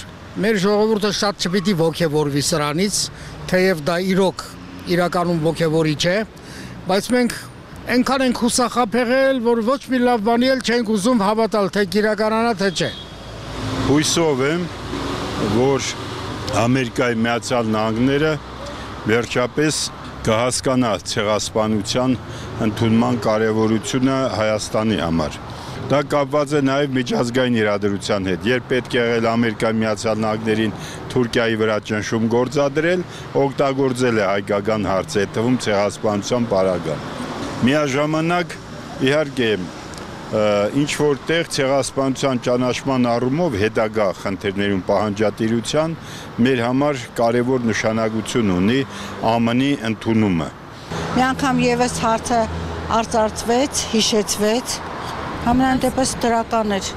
մեր ժողովուրդը շատ չպիտի ոգևորվի սրանից, թեև դա իրականում ոգևորիչ է, բայց մենք այնքան ենք հուսախաբեղել, որ ոչ մի լավ բանի էլ չենք ուզում հավատալ, թե կիրականանա, թե չէ։ Հույսով եմ, որ Ամերիկայի Միացյալ Նահանգները վերջապես կհասկանա ցեղասպանության ընդունման կարևորությունը Հայաստանի համար։ Դա կապված է նաև միջազգային իրադրության հետ, երբ պետք է եղել Ամերիկայի Միացյալ Նահանգներին Թուրքիայի վրա ճնշում գործադրել, օգտագործել է հայկական հարցը, այդ թվում ցեղասպանության պարագան։ Միաժամանակ, իհարկե, ինչ որտեղ ցեղասպանության ճանաչման առումով հետագա խնդիրներում պահանջատիրության մեր համար կարևոր նշանակություն ունի ԱՄՆ-ի ընդունումը։ Մի անգամ եւս հարցը արծարծվեց, հիշեցվեց, համենայն դեպս դրական էր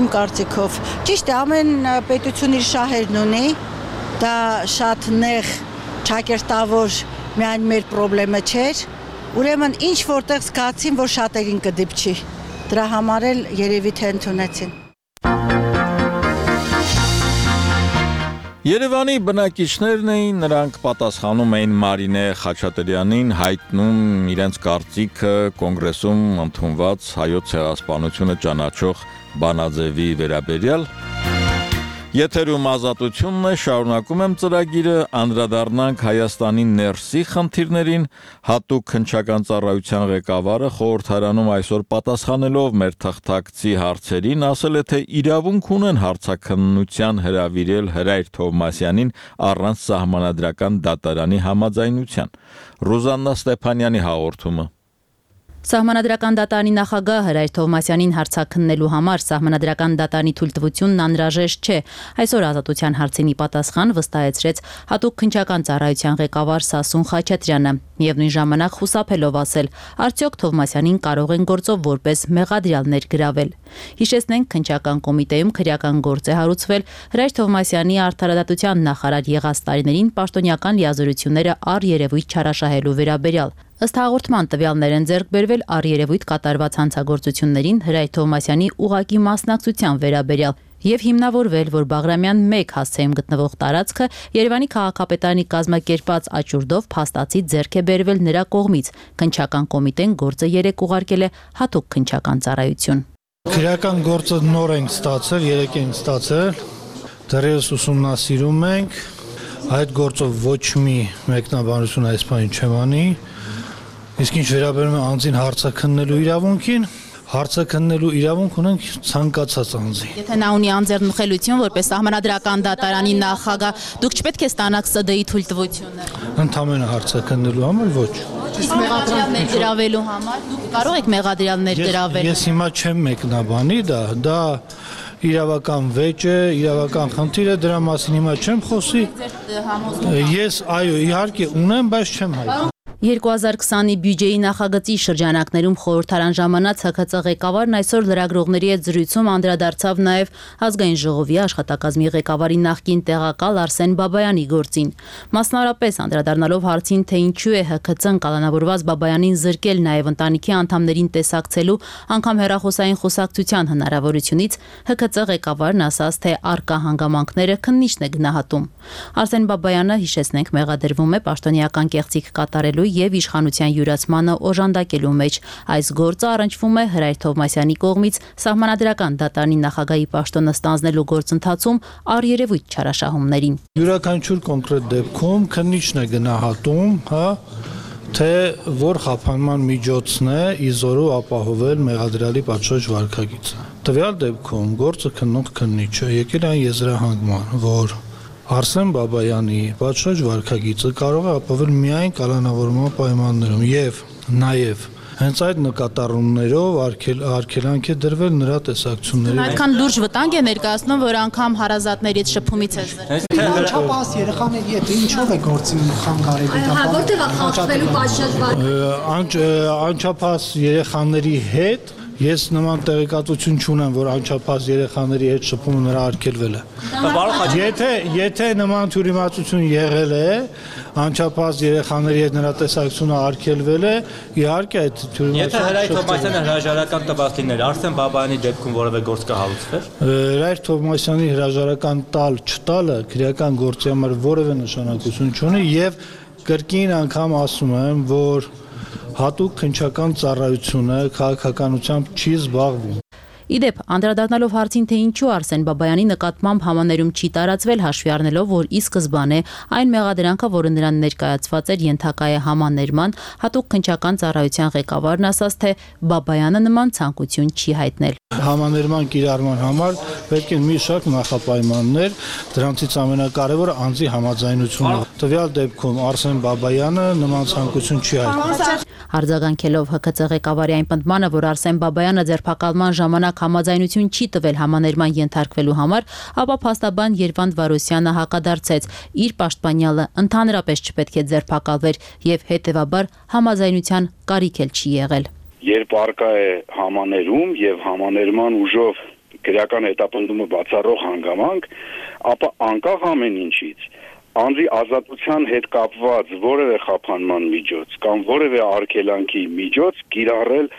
իմ կարծիքով։ Ճիշտ է, ամեն պետություն իր շահերն ունի, դա շատ նեղ, ճակերտավոր միայն մեր խնդրը չէր, ուրեմն ինչ որտեղ զգացին, որ շատերին կդիպչի։ Դրա համար էլ երևի թե ընդունեցին։ Երևանի բնակիչներն էին, նրանք պատասխանում էին Մարինե Խաչատրյանին, հայտնում իրենց կարծիքը կոնգրեսում ընդունված հայոց ցեղասպանությունը ճանաչող բանաձևի վերաբերյալ։ Եթերում Ազատությունն է, շարունակում եմ ծրագիրը, անդրադառնանք Հայաստանի ներսի խնդիրներին, հատուկ քննչական ծառայության ղեկավարը խորհրդարանում այսօր պատասխանելով մեր թղթակցի հարցերին ասել է, թե իրավունք ունեն հարցաքննության հրավիրել Հրայր Թովմասյանին առանց սահմանադրական դատարանի համաձայնության։ Ռուզաննա Ստեփանյանի հաղորդումը։ Սահմանադրական դատարանի նախագահ Հրայր Թովմասյանին հարցաքննելու համար սահմանադրական դատարանի թույլտվությունն անհրաժեշտ չէ։ Այսօր Ազատության հարցինի պատասխան վստահեցրեց հատուկ քննչական ծառայության ղեկավար Սասուն Խաչատրյանը, միևնույն ժամանակ խուսափելով ասել, արդյոք Թովմասյանին կարող են գործով որպես մեղադրյալներ գրավել։ Հիշեցնենք, քննչական կոմիտեում քրեական գործ է հարուցվել Հրայր Թովմասյանի արդարադատության նախարար եղած տարիներին պաշտոնյական լիազորությունները առերևույթ չարաշահելու վերաբերյալ։ Ըստ հաղորդման տվյալներ են ձեռք բերվել առերևույթ կատարված հանցագործություններին Հրայր Թովմասյանի ուղղակի մասնակցության վերաբերյալ եւ հիմնավորվել, որ Բաղրամյան 1 հասցեում գտնվող տարածքը Երևանի քաղաքապետարանի կազմակերպած աճուրդով փաստացի ձեռք է բերվել նրա կողմից։ Քննչական կոմիտեն գործը 3 ուղարկել է հատուկ քննչական ծառայություն։ Քրեական գործը նոր ենք ստացել, 3 ենք ստացել, դեռևս ուսումնասիրում ենք, այդ գործով ոչ մի մեկնաբանություն այս բանի չեմ անի, իսկ ինչ վերաբերում է անձին հարցաքննելու իրավունքին, հարցաքննելու իրավունք ունենք ցանկացած անձի։ Եթե նա ունի անձեռնմխելիություն որպես սահմանադրական դատարանի նախագահ, դուք չպետք է ստանաք ՍԴ-ի թույլտվությունը։ Ընդամենը հարցաքննելու համար ոչ։ Իսկ մեղադրյալներ գրավելու համար դուք կարող եք մեղադրյալներ գրավել։ Ես հիմա չեմ մեկնաբանի դա իրավական վեճ է, իրավական խնդիր է, դրա մասին հիմա չեմ խոսի։ Ես այո, իհարկե ունեմ, բայց չեմ հայտնում։ 2020-ի բյուջեի նախագծի շրջանակներում խորհրդարան ժամանած ՀՔԾ ղեկավարն այսօր լրագրողների հետ զրույցում անդրադարձավ նաև ազգային ժողովի աշխատակազմի ղեկավարի նախկին տեղակալ Արսեն Բաբայանի գործին։ Մասնավորապես անդրադառնալով հարցին, թե ինչու է ՀՔՑ-ն կալանավորված Բաբայանին զրկել նաև ընտանիքի անդամներին տեսակցելու, անգամ հեռախոսային խոսակցության հնարավորությունից, ՀՔՑ ղեկավարն ասաց, թե արկա հանգամանքները քննիչն է գնահատում։ Արսեն Բաբայանը, հիշեցնենք, մեղադրվում է պաշտոնյական կեղծիք կատարելու եւ իշխանության յուրացմանը օժանդակելու մեջ։ Այս գործը առնչվում է Հրայր Թովմասյանի կողմից սահմանադրական դատարանի նախագահի պաշտոնը ստանձնելու գործընթացում առերևույթ չարաշահումներին։ Յուրաքանչյուր կոնկրետ դեպքում քննիչն է գնահատում, թե որ խափանման միջոցն է իզորու ապահովել մեղադրյալի պատժող վարքագիծը։ Տվյալ դեպքում գործը քննող քննիչը եկել այն եզրահանգման, որ Արսեն Բաբայանի պատժող վարքագիծը կարող է ապահովել միայն կալանավորման պայմաններում եւ նաեւ հենց այդ նկատառումներով արգելանք է դրվել նրա տեսակցությունների։ Այդքան լուրջ վտանգ է ներկայացնում, որ անգամ հարազատներից շփումից է զրկվել։ Անչափահաս երեխաների հետ ինչով է գործի խանգարելու դա։ Որտեղ է խախտվելու պատժող անչափահաս երեխաների հետ Ես նման տեղեկատվություն չունեմ, որ անչափահաս երեխաների հետ շփումը նրա արգելվել է։ Եթե նման թյուրիմացություն եղել է, անչափահաս երեխաների հետ նրա տեսակցությունը արգելվել է, իհարկե այդ թյուրիմացությունը։ Եթե Հրայր Թովմասյանը հրաժարական տված լիներ, Արսեն Բաբայանի դեպքում որևէ գործ կհարուցվեր։ Հրայր Թովմասյանի հրաժարական տալ-չտալը քրեական գործի համար որևէ նշանակություն չունի եւ կրկին անգամ ասում եմ, որ հատուկ քննչական ծառայությունը քաղաքականությամբ չի զբաղվում։ Իդեպ, անդրադառնալով հարցին, թե ինչու Արսեն Բաբայանի նկատմամբ համաներում չի տարածվել, հաշվի առնելով, որ ի սկզբանե այն մեղադրանքը, որը նրան ներկայացված էր, ենթակա է համաներման, հատուկ քննչական ծառայության ղեկավարն ասաց, թե Բաբայանը նման ցանկություն չի հայտնել։ Համաներման կիրառման համար պետք են մի շարք նախապայմաններ, դրանցից ամենակարևորը անձի համաձայնությունն է։ Տվյալ դեպքում Արսեն Բաբայանը նման ցանկություն չի հայտնել։ Արձագանքելով ՀՔԾ ղեկավարի այն պնդմանը, որ Արսեն Բաբայանը ձերբակալման ժամանակ համաձայնություն չի տվել համաներման ենթարկվելու համար, ապա փաստաբան Երվանդ Վարոսյանը հակադարձեց, իր պաշտպանյալը ընդհանրապես չպետք է ձերբակալվեր եւ հետեւաբար համաձայնության կարիք էլ չի եղել։ Երբ արկա է համաներում եւ համաներման ուժով քրեական հետապնդումը բացառող հանգամանք, ապա անկախ ամեն ինչից անձի ազատության հետ կապված որևէ խափանման միջոց կամ որևէ արգելանքի միջոց կիրառել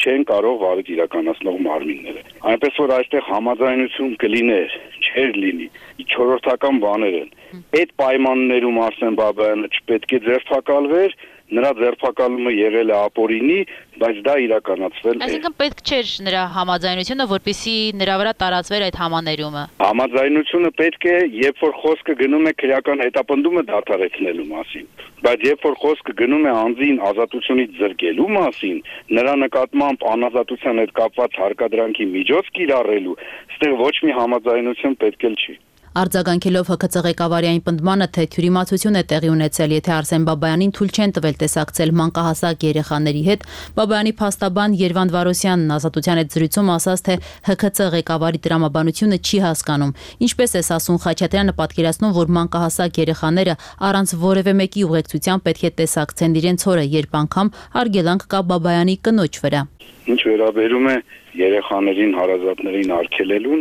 չեն կարող վարույթ իրականացնող մարմինները։ Այնպես որ այստեղ համաձայնություն կլիներ, չէր լինի, չորրորդական բաներ են։ Այդ պայմաններում Արսեն Բաբայանը չպետք է ձերբակալվեր, նրա ձերբակալումը եղել է ապօրինի, բայց դա իրականացվել է։ Այսինքն պետք չէր նրա համաձայնությունը, որպեսզի նրա վրա տարածվեր այդ համաներումը։ Համաձայնությունը պետք է, երբ որ խոսքը գնում է քրեական հետապնդումը դադարեցնելու մասին, բայց երբ որ խոսքը գնում է անձին ազատությունից զրկելու մասին, նրա նկատմամբ անազատության հետ կապված հարկադրանքի միջոց կիրառելու, այստեղ ոչ մի համաձայնություն պետք էլ չի։ Արձագանքելով ՀՔԾ ղեկավարի այն պնդմանը, թե թյուրիմացություն է տեղի ունեցել, եթե Արսեն Բաբայանին թույլ չեն տվել տեսակցել մանկահասակ երեխաների հետ, Բաբայանի փաստաբան Երվանդ Վարոսյանն ազատության հետ զրույցում ասաց, թե ՀՔԾ ղեկավարի տրամաբանությունը չի հասկանում։ Ինչպես է Սասուն Խաչատրյանը պատկերացնում, որ մանկահասակ երեխաները առանց որևէ մեկի ուղեկցության պետք է տեսակցեն իրենց հորը, երբ անգամ արգելանք կա Բաբայանի կնոջ վրա։ Ինչ վերաբերում է երեխաներին հարազատներին արգելելուն,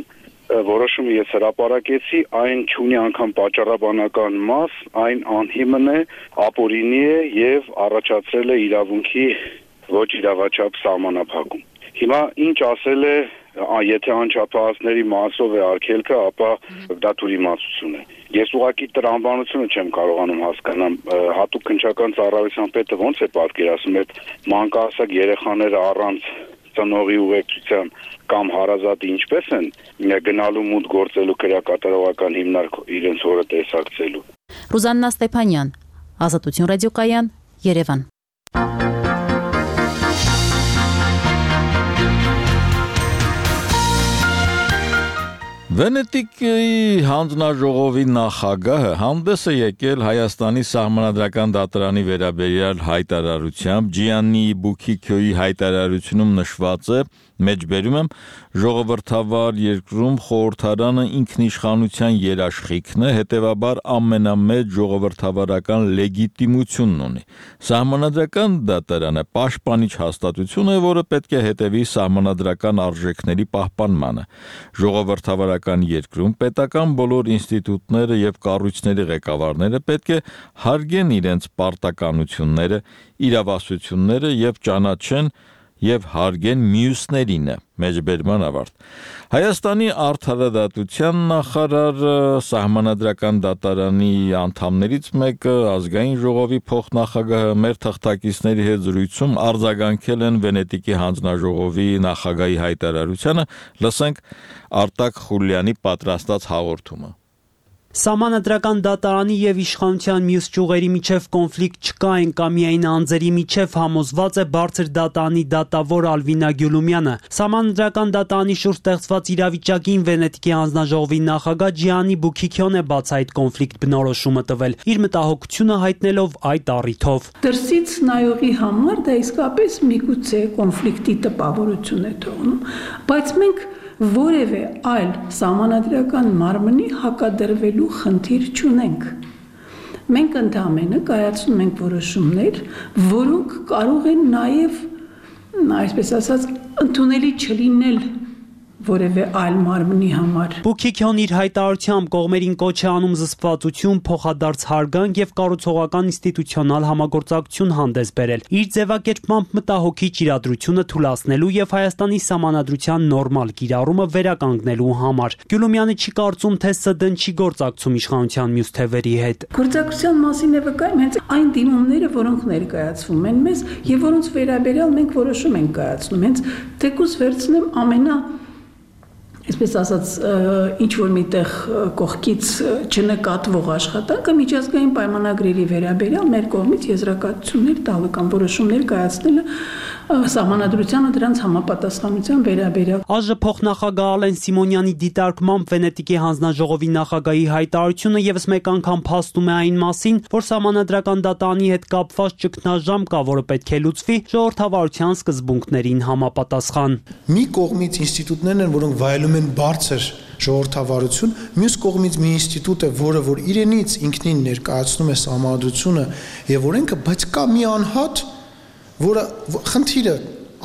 որոշումը ես հրապարակեցի, այն չունի անգամ պատճառաբանական մաս, այն անհիմն է, ապօրինի է եւ առաջացրել է իրավունքի ոչ իրավաչափ սահմանափակում։ Հիմա ինչ ասել է, եթե անչափահասների մասով է արգելքը, ապա դա թյուրիմացություն է։ Ես ուղղակի տրամաբանությունը չեմ կարողանում հասկանալ, հատուկ քննչական ծառայության պետը ոնց է պատկերացնում այդ մանկահասակ երեխաները առանց ծնողի ուղեկցության կամ հարազատի ինչպես են գնալու մուտք գործելու քրեակատարողական հիմնարկ իրենց հորը տեսակցելու։ Ռուզաննա Ստեփանյան, Ազատություն ռադիոկայան, Երևան։ Վենետիկի հանձնաժողովի նախագահը հանդես է եկել Հայաստանի սահմանադրական դատարանի վերաբերյալ հայտարարությամբ, Ջիաննի Բուքիքյոյի հայտարարությունում նշված է, մեջբերում եմ, ժողովրդավար երկրում խորհրդարանը ինքնիշխանության երաշխիքն է, հետևաբար ամենամեծ ժողովրդավարական լեգիտիմությունն ունի։ Սահմանադրական դատարանը պաշտպանիչ հաստատություն է, որը պետք է հետևի սահմանադրական արժեքների պահպանմանը։ Ժողովրդավարական երկրում պետական բոլոր ինստիտուտները եւ կառույցների ղեկավարները պետք է հարգեն իրենց պարտականությունները, իրավասությունները եւ ճանաչեն եւ հարգեն մյուսներինը, մեջբերման ավարտ։ Հայաստանի արդարադատության նախարարը սահմանադրական դատարանի անդամներից մեկը ազգային ժողովի փոխնախագահը մեր թղթակիցների հետ զրույցում արձագանքել են Վենետիկի հանձնաժողովի նախագահի հայտարարությանը, լսենք Արտակ Խուլյանի պատրաստած հաղորդումը։ Սահմանադրական դատարանի եւ իշխանության մյուս ճյուղերի միջև կոնֆլիկտ չկա, այնքա միայն անձերի միջև համոզված է բարձր դատարանի դատավոր Ալվինա Գյուլումյանը։ Սահմանադրական դատարանի շուրջ ստեղծված իրավիճակին Վենետիկի հանձնաժողովի նախագահ Ջիաննի Բուքիքյոն է բաց այդ կոնֆլիկտ բնորոշումը տվել, իր մտահոգությունը հայտնելով այդ առիթով։ Դրսից նայողի համար դա իսկապես միգուցե կոնֆլիկտի տպավորություն է թողնում, բայց մենք որևէ այլ սահմանադրական մարմնի հակադրվելու խնդիր չունենք։ Մենք ընդհանրապես կայացնում ենք որոշումներ, որոնք կարող են նաև, այսպես ասած, ընդունելի չլինել որևէ այլ մարմնի համար։ Բուքիքյոն իր հայտարարությամբ կողմերին կոչ է անում զսպվածություն, փոխադարձ հարգանք եւ կառուցողական ինստիտուցիոնալ համագործակցություն հանդես բերել։ Իր ձևակերպմամբ մտահոգիչ իրադրությունը թուլացնելու եւ Հայաստանի սահմանադրության նորմալ կիրառումը վերականգնելու համար։ Գյուլումյանը չի կարծում, թե ՍԴ-ն չի գործակցում իշխանության մյուս թևերի հետ։ Գործակցության մասին է վկայում հենց այն դիմումները, որոնք ներկայացվում են մեզ եւ որոնց վերաբերյալ մենք որոշում ենք կայացնում։ Հենց թեկուզ վերցնեմ այսպես ասած, ինչ որ միտեղ կողքից չնկատվող աշխատանքը միջազգային պայմանագրերի վերաբերյալ մեր կողմից եզրակացություններ տալը կամ որոշումներ կայացնելը սահմանադրությանը դրանց համապատասխանության վերաբերյալ։ ԱԺ փոխնախագահ Ալեն Սիմոնյանի դիտարկմամբ Վենետիկի հանձնաժողովի նախագահի հայտարարությունը եւս մեկ անգամ փաստում է այն մասին, որ սահմանադրական դատանի հետ կապված ճգնաժամ կա, որը պետք է լուծվի ժողովրդավարության սկզբունքներին համապատասխան։ Մի կողմից ինստիտուտներն են, որոնք վայելում են բարձր ժողովրդավարություն, մյուս կողմից մի ինստիտուտ է, որը որ իրենից ինքնին ներկայացնում է սահմանադրությունը եւ օրենքը, բայց կա մի անհատ, որը խնդիրը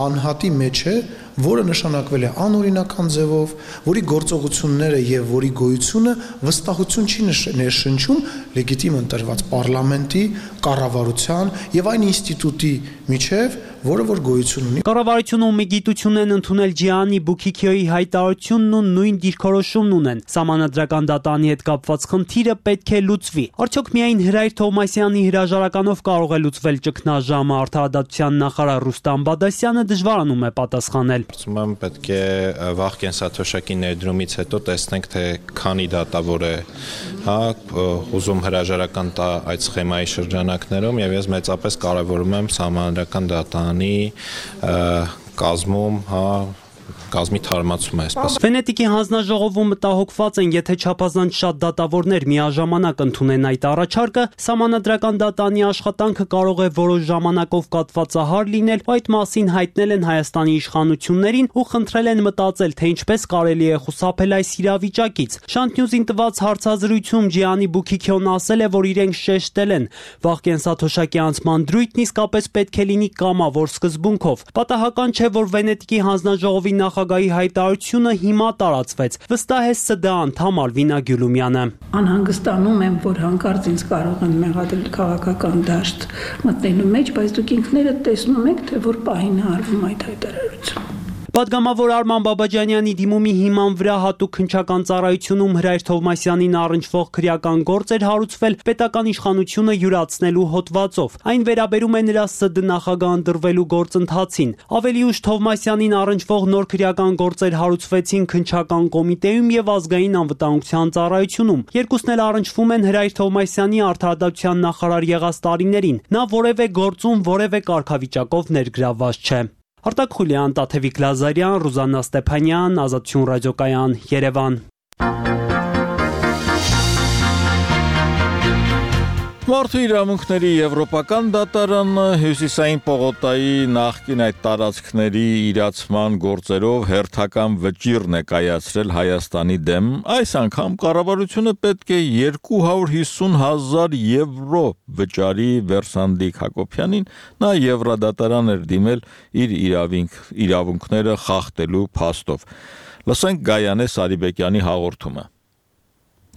անհատի մեջ է, որը նշանակվել է անօրինական ձևով, որի գործողությունները եւ որի գոյությունը վստահություն չի ներշնչում լեգիտիմ ընտրված պարլամենտի, կառավարության եւ այն ինստիտուտի միջև, որը որ գոյություն ունի։ Կառավարությունը ու միգիտությունն են ընդունել Ջիանի Բուքիքյոյի հայտարարությունն ու նույն դիրքորոշումն ունեն։ Սահմանադրական դատանի հետ կապված խնդիրը պետք է լուծվի։ Արդյոք միայն Հրայր Թովմասյանի հրաժարականով կարող է լուծվել ճգնաժամը, արդարադատության նախարար Ռուստամ Բադասյանը դժվարանում է պատասխանել։ Կարծում եմ պետք է վաղ կենսաթոշակի ներդրումից հետո տեսնենք, թե քանի դատավոր է, ուզում հրաժարական տա այդ սխեմայի շրջանակներում եւ ես մեծապես կարևորում եմ սահմանադրական դատանի կազմում, կազմի թարմացում է այսպես։ Վենետիկի հանձնաժողովում մտահոգված են, եթե չափազանց շատ դատավորներ միաժամանակ ընդունեն այդ առաջարկը, սահմանադրական դատանի աշխատանքը կարող է որոշ ժամանակով կատվածահար լինել, այդ մասին հայտնել են Հայաստանի իշխանություններին ու խնդրել են մտածել, թե ինչպես կարելի է խուսափել այս իրավիճակից։ Շանթ Նյուզին տված հարցազրույցում Ջիանի Բուքիքյոն ասել է, որ իրենք շեշտել են, վաղ կենսաթոշակի անցման դրույթն իսկապես պետք է լինի կամավոր սկզբունքով։ Պատահական չէ, որ Վենետիկի հանձնաժողովի նախագահի հայտարարությունը հիմա տարածվեց։ Վստահ է ՍԴ անդամ Ալվինա Գյուլումյանը։ Անհանգստանում եմ, որ հանկարծ ինձ կարող են մեղադրել քաղաքական դաշտ մտնելու մեջ, բայց դուք ինքներդ տեսնում եք, թե որ պահին է արվում այդ հայտարարությունը։ Պատգամավոր Արման Բաբաջանյանի դիմումի հիման վրա հատուկ քննչական ծառայությունում Հրայր Թովմասյանին առնչվող քրեական գործ էր հարուցվել պետական իշխանությունը յուրացնելու հոդվածով։ Այն վերաբերում է նրա ՍԴ նախագահ ընտրվելու գործընթացին։ Ավելի ուշ Թովմասյանին առնչվող նոր քրեական գործեր հարուցվեցին քննչական կոմիտեում եւ ազգային անվտանգության ծառայությունում։ Երկուսն էլ առնչվում են Հրայր Թովմասյանի արդարադատության նախարար եղած տարիներին։ Նա որևէ գործում որևէ կարգավիճակով ներգրավված չէ։ Արտակ Խուլյան, Տաթևիկ Լազարյան, Ռուզաննա Ստեփանյան, Ազատություն ռադիոկայան, Երևան։ Մարդու իրավունքների եվրոպական դատարանը Հյուսիսային պողոտայի նախկին այդ տարածքների իրացման գործերով հերթական վճիռ կայացրել Հայաստանի դեմ։ Այս անգամ կառավարությունը պետք է 250,000 եվրո վճարի Վերսանդիկ Հակոբյանին, նա Եվրադատարան էր դիմել իր իրավունքները խախտելու փաստով։ Լսենք Գայանե Սարիբեկյանի հաղորդումը։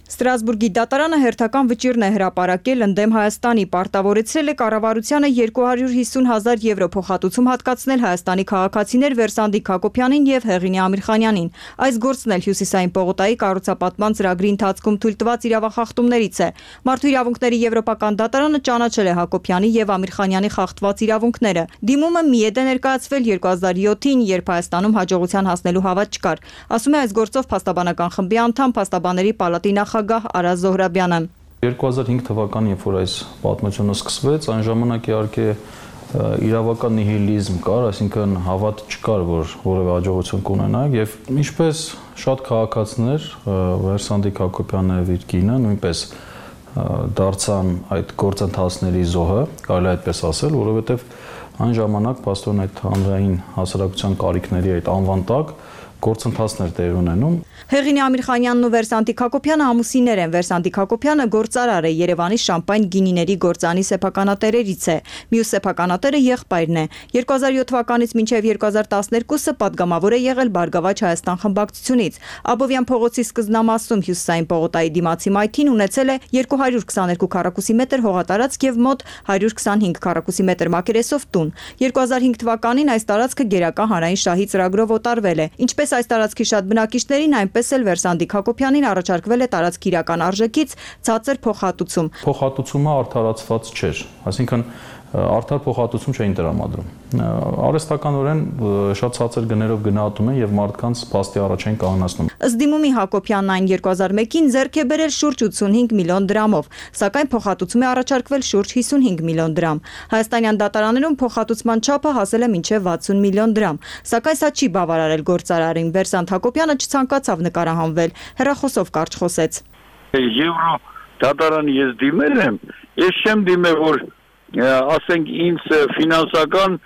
Ստրասբուրգի դատարանը հերթական վճիռն է հրապարակել ընդդեմ Հայաստանի, պարտավորեցրել է կառավարությանը 250,000 եվրո փոխհատուցում հատկացնել Հայաստանի քաղաքացիներ Վերսանդիկ Հակոբյանին եւ Հեղինե Ամիրխանյանին։ Այս գործն էլ Հյուսիսային պողոտայի կառուցապատման ծրագրի ընթացքում թույլ տված իրավախախտումներից է։ Մարդու իրավունքների եվրոպական դատարանը ճանաչել է Հակոբյանի եւ Ամիրխանյանի խախտված իրավունքները։ Դիմումը մի է ներկայացվել 2007-ին, երբ Հայաստանում հաջողության հասնելու հավատ չկար։ Ասում է այս գործով փաստաբանական խմբի անդամ Փաստաբանների պալատի նախագահ Արազ Զոհրաբյանը։ 2005 թվականին, երբ որ այս պատմությունը սկսվեց, այն ժամանակ իհարկե իրավական նիհիլիզմ կար, այսինքն հավատ չկար, որ որևէ հաջողություն կունենանք, եւ ինչպես շատ քաղաքացիներ, Վերսանդիկ Հակոբյանը եւ իր կինը նույնպես դարձան այդ գործընթացների զոհը, կարելի է այդպես ասել, որովհետեւ այն ժամանակ փաստորեն այդ հանրային հասարակության կարիքների այդ անվան տակ գործընթացներ տեղի ունենում։ Հեղինե Ամիրխանյանն ու Վերսանտիկ Հակոբյանը ամուսիններ են։ Վերսանտիկ Հակոբյանը գործարար է, Երևանի շամպայն գինիների գործանի սեփականատերերից է։ Մյուս սեփականատերը եղբայրն է։ 2007 թվականից մինչև 2012-ը падգամավոր է եղել Բարգավաճ Հայաստան խմբակցությունից։ Աբովյան փողոցի սկզբնամասում Հյուսիսային պողոտայի դիմացի մայթին ունեցել է 222 քառակուսի մետր հողատարածք եւ մոտ 125 քառակուսի մետր մակերեսով տուն։ 2005 թվականին այս տարածքը գերական հանրային շահի ծրագրով օտարվել է։ Ինչպես այս տարածքի շատ բնակիչներին, այնպես էլ Վերսանտիկ Հակոբյանին առաջարկվել է տարածքի իրական արժեքից ցածր փոխհատուցում։ Փոխհատուցումը արդարացված չէր, այսինքն արդար փոխհատուցում չէին տրամադրում։ Արհեստականորեն շատ ցածր գներով գնահատում են եւ մարդկանց փաստի առաջ են կանգնացնում։ Ըստ դիմումի Հակոբյանն այն 2001-ին ձեռք է բերել շուրջ 85 միլիոն դրամով, սակայն փոխհատուցում է առաջարկվել շուրջ 55 միլիոն դրամ։ Հայաստանյան դատարաններում փոխհատուցման չափը հասել է մինչև 60 միլիոն դրամ, սակայն սա չի բավարարել գործարարին։ Վերսանտ Հակոբյանը չցանկացավ նկարահանվել, հեռախոսով կարճ խոսեց։ Եվրո դատարան ես դիմել եմ, ես չեմ դիմել, որ ասենք ինձ ֆինանսական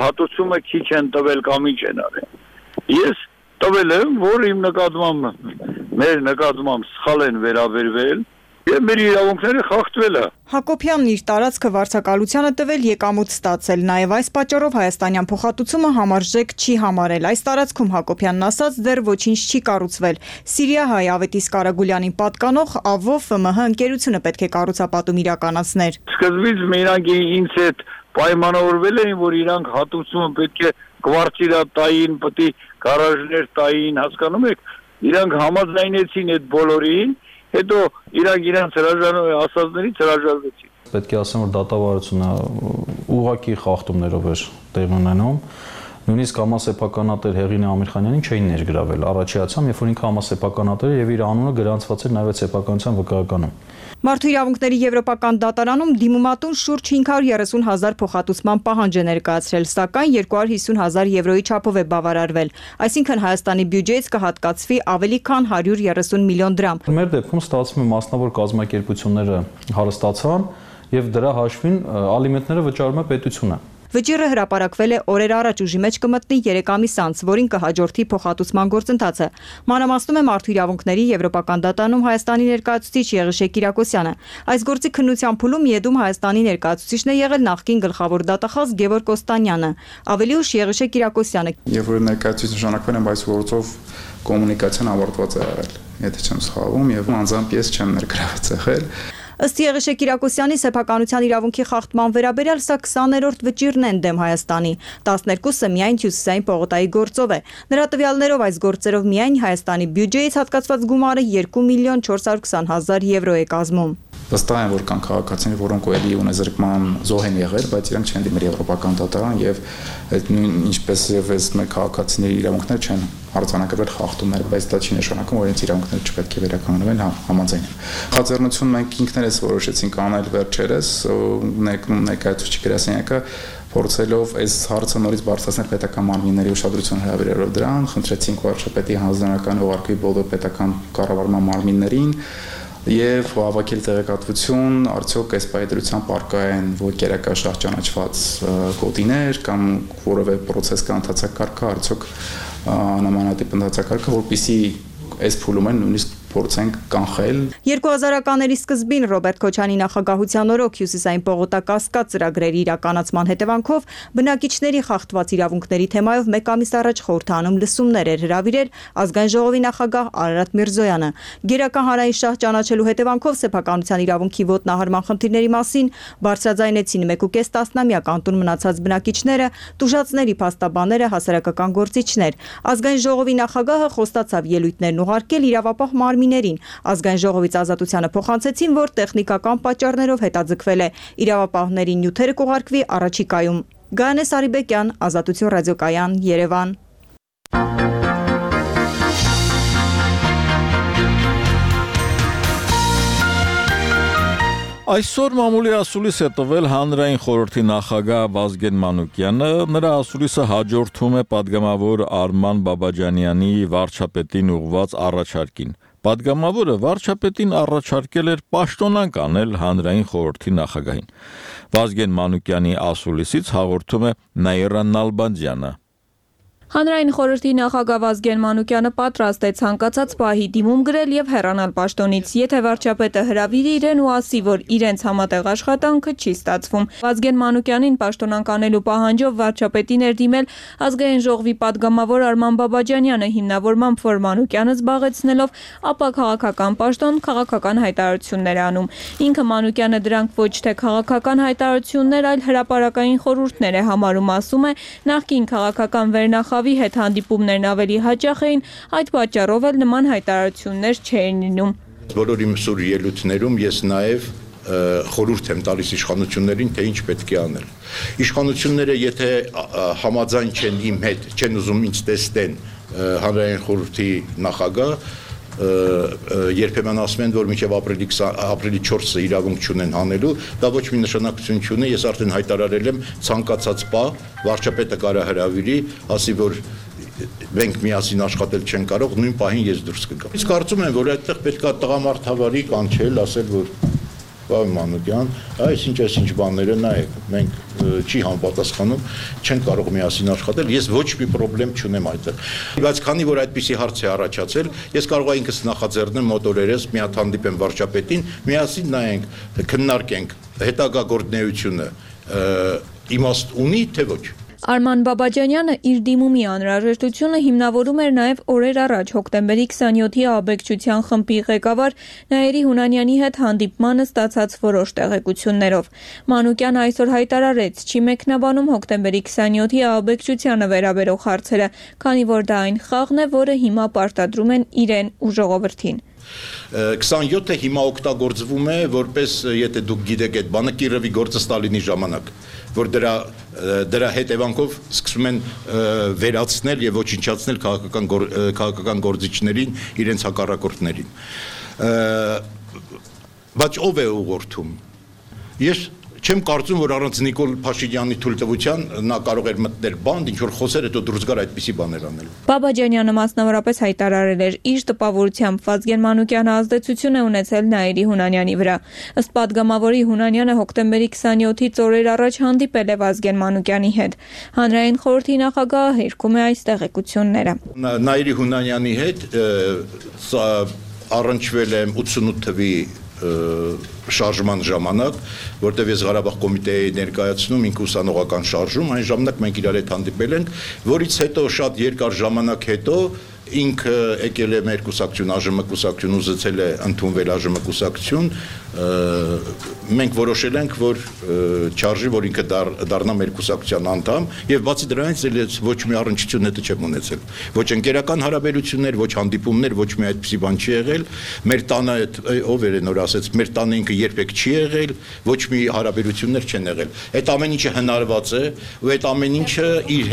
հատուցումը քիչ են տվել կամ ինչ են արել։ Ես տվել եմ, որ իմ նկատմամբ, մեր նկատմամբ սխալ են վերաբերվել եւ մեր իրավունքները խախտվել է։ Հակոբյանն իր տարածքը վարձակալությանը տվել եկամուտ ստացել, նաեւ այս պատճառով հայաստանյան փոխհատուցումը համարժեք չի համարել։ Այս տարածքում Հակոբյանն ասաց դեռ ոչինչ չի կառուցվել։ Սիրիահայ Ավետիս Կարագուլյանին պատկանող ԱՎՈ ՖՄՀ ընկերությունը պետք է կառուցապատում իրականացներ։ Սկզբից մենակ ինձ հետ պայմանավորվել էին, որ իրանք հատուցումը պետք է կվարտիրատային, պետք է գարաժներ տային, հասկանում եք, իրանք համաձայնեցին այդ բոլորին, հետո իրանք ասածներից հրաժարվեցին։ Պետք է ասեմ, որ դատավարությունը ուղղակի խախտումներով էր տեղի ունենում։ Նույնիսկ համասեփականատեր Հեղինե Ամիրխանյանին չէին ներգրավել առաջիացամ, երբ որ ինքը համասեփականատեր է եւ իր անունը գրանցված էր նաեւ սեփականության վկայականում։ Մարդու իրավունքների եվրոպական դատարանում դիմումատուն շուրջ 530,000 փոխհատուցման պահանջ է ներկայացրել, սակայն 250,000 եվրոյի չափով է բավարարվել։ Այսինքն Հայաստանի բյուջեից կհատկացվի ավելի քան 130 միլիոն դրամ։ Մեր դեպքում ստացվում է մասնավոր կազմակերպությունները հարստացան եւ դրա հաշվին ալիմենտները վճարում է պետությունը։ Վճիռը հրապարակվել է օրեր առաջ, ուժի մեջ կմտնի 3 ամիս անց, որին կհաջորդի փոխհատուցման գործընթացը։ Մանրամասնում է Մարդու իրավունքների եվրոպական դատարանում Հայաստանի ներկայացուցիչ Եղիշե Կիրակոսյանը։ Այս գործի քննության փուլում ԵԴ-ում Հայաստանի ներկայացուցիչն է եղել նախկին գլխավոր դատախազ Գևորգ Օստանյանը։ Ավելի ուշ Եղիշե Կիրակոսյանը։ Երբ որ ներկայացուցիչ նշանակվել եմ, այս գործով կոմունիկացիան ավարտված է եղել, եթե չեմ սխալվում, եւ անձամբ ես չեմ ներգրաված եղել։ Ըստ Եղիշե Կիրակոսյանի սեփականության իրավունքի խախտման վերաբերյալ սա 20-րդ վճիռն են դեմ Հայաստանի, 12-ը միայն Հյուսիսային պողոտայի գործով է։ Նրա տվյալներով այս գործերով միայն Հայաստանի բյուջեից հատկացված գումարը 2.420.000 եվրո է կազմում։ Վստահ եմ, որ կան քաղաքացիներ, որոնք էլի ունեզրկման զոհ են եղել, բայց իրանք չեն դիմել եվրոպական դատարան եւ ինչպես եւ այս մեր քաղաքացիների իրավունքներ չեն արձանագրվել խախտումներ, բայց դա չի նշանակում, որ իրենց իրավունքները չպետք է վերականգնվեն, համաձայն եմ։ Խաձեռնություն մենք ինքներս որոշեցինք անել վերջերս, ներկայացուցիչ գրասենյակը փորձելով այս հարցը նորից բարձրացնել պետական մարմինների ուշադրություն հրավիրելով դրան, խնդրեցինք վարչապետի հանձնարարական ուղարկի բոլոր պետական կառավարման մարմիններին եւ հավաքել տեղեկատվություն, արդյոք այս պայդրությամբ արկա են ոգերակաշահ ճանաչված կոդիներ կամ որևէ process կա ընթացակարգը, արդյոք նմանատիպ ընթացակարգը, որպեսզի այս փուլում են նույնիսկ փորձենք կանխել։ 2000-ականների սկզբին Ռոբերտ Քոչյանի նախագահության օրոք Հյուսիսային պողոտակասկած ծրագրերի իրականացման հետևանքով բնակիչների խախտված իրավունքների թեմայով մեկ ամիս առաջ խորհրդանում լսումներ էր հրավիրել ազգային ժողովի նախագահ Արարատ Միրզոյանը։ Գերական հանրային շահ ճանաչելու հետևանքով սեփականության իրավունքի ոտնահարման խնդիրների մասին բարձրաձայնեցին 1.5 տասնամյակ անտուն մնացած բնակիչները, տուժածների փաստաբանները, հասարակական գործիչներ։ Ազգային ժողովի նախագահը խոստացավ ելույթներն ուղարկել իրավապահ մարմիններին։ Ազգային ժողովից ազատությանը փոխանցեցին, որ տեխնիկական պատճառներով հետաձգվել է։ Իրավապահների նյութերը կուղարկվի առաջիկայում։ Գայանե Սարիբեկյան, Ազատություն ռադիոկայան, Երևան։ Այսօր մամուլի ասուլիս է տվել հանրային խորհրդի նախագահ Վազգեն Մանուկյանը, նրա ասուլիսը հաջորդում է падգամավոր Արման Բաբաջանյանի վարչապետին ուղղված առաջարկին։ Падգամավորը վարչապետին առաջարկել էր պաշտոնանկ անել հանրային խորհրդի նախագահին։ Վազգեն Մանուկյանի ասուլիսից հաղորդում է Նաիրա Նալբանդյանը։ Հանրային խորհրդի նախագահ Վազգեն Մանուկյանը պատրաստ է ցանկացած պահի դիմում գրել եւ հեռանալ պաշտոնից, եթե վարչապետը հրավիրի իրեն ու ասի, որ իրենց համատեղ աշխատանքը չի ստացվում։ Վազգեն Մանուկյանին պաշտոնանկ անելու պահանջով վարչապետին էր դիմել Ազգային ժողովի падգամավոր Արման Բաբաջանյանը, հիմնավորմամբ որ Մանուկյանը զբաղեցնելով ապա քաղաքական պաշտոն քաղաքական հայտարարություններ անում։ Ինքը Մանուկյանը դրանք ոչ թե քաղաքական հայտարարություններ, այլ հրապարակային խորհուրդներ է համարում, ասում է, նախկին քաղաքական վերնախավի հետ հանդիպումներն ավելի հաճախ էին, այդ պատճառով էլ նման հայտարարություններ չէին լինում։ Բոլոր իմ սուր ելույթներում ես նաև խորհուրդ եմ տալիս իշխանություններին, թե ինչ պետք է անել։ Իշխանությունները եթե համաձայն չեն իմ հետ, չեն ուզում ինձ տեսնեն հանրային խորհրդի նախագահ, երբեմն ասում են, որ մինչև ապրիլի 4-ը իրավունք չունեն հանելու, դա ոչ մի նշանակություն չունի, ես արդեն հայտարարել եմ ցանկացած պահ վարչապետը կարա հրավիրի, ասի, որ մենք միասին աշխատել չեն կարող, նույն պահին ես դուրս կգամ։ Իսկ կարծում եմ, որ այդտեղ պետք է տղամարդավարի կանչել, ասել, որ Պարոն Մանուկյան, այսինչ բաները նայեք, մենք չի համապատասխանում, չեն կարող միասին աշխատել, ես ոչ մի խնդրեմ չունեմ այդտեղ։ Բայց քանի որ այդպիսի հարց է առաջացել, ես կարող եմ ինքս նախաձեռնեմ մոտ օրերս մի հատ հանդիպեմ վարչապետին, միասին նայենք, քննարկենք հետագա գործունեությունը իմաստ ունի, թե ոչ։ Արման Բաբաջանյանը իր դիմումի անհրաժեշտությունը հիմնավորում էր նաև օրեր առաջ հոկտեմբերի 27-ի աբեկչության խմբի ղեկավար Նաիրի Հունանյանի հետ հանդիպմանը ստացած որոշ տեղեկություններով։ Մանուկյանը այսօր հայտարարեց, չի մեկնաբանում հոկտեմբերի 27-ի աբեկչությանը վերաբերող հարցերը, քանի որ դա այն խաղն է, որը հիմա պարտադրում են իրեն ու ժողովրդին։ 27-ը հիմա օգտագործվում է որպես, եթե դուք գիտեք այդ բանը, Կիրովի գործը Ստալինի ժամանակ, որ դրա հետևանքով սկսում են վերացնել եւ ոչնչացնել քաղաքական գործիչներին, իրենց հակառակորդներին։ Բայց ով է ուղղորդում։ Ես չեմ կարծում, որ առանց Նիկոլ Փաշինյանի թույլտվության նա կարող էր մտնել բանդ, ինչ որ խոսեր հետո դուրս գար այդպիսի բաներ անել։ Բաբաջանյանը մասնավորապես հայտարարել էր, իր տպավորությամբ Վազգեն Մանուկյանը ազդեցություն է ունեցել Նաիրի Հունանյանի վրա։ Ըստ падգամավորի Հունանյանը հոկտեմբերի 27-ից օրեր առաջ հանդիպել է Վազգեն Մանուկյանի հետ։ Հանրային խորհրդի նախագահը հերքում է այս տեղեկությունները։ Նաիրի Հունանյանի հետ առնչվել եմ 88 թվի շարժման ժամանակ, որտեղ ես Ղարաբաղ կոմիտեի ներկայացնում ինք ուսանողական շարժում, այն ժամանակ մենք իրար հետ հանդիպել ենք, որից հետո շատ երկար ժամանակ հետո ինքը եկել է մեր կուսակցություն, ԱԺՄ կուսակցություն, ուզեցել է ընդունվել ԱԺՄ կուսակցություն, մենք որոշել ենք, որ չարժի, որ ինքը դառնա մեր կուսակցության անդամ, եւ բացի դրանից էլ ոչ մի առնչություն հետը չեմ ունեցել։ Ոչ ընկերական հարաբերություններ, ոչ հանդիպումներ, ոչ մի այդպիսի բան չի եղել։ Մեր տանը ով էր նոր ասեց, մեր տանը ինքը երբեք չի եղել, ոչ մի հարաբերություններ չեն եղել։ Այդ ամեն ինչը հնարված է, ու այդ ամեն ինչը իր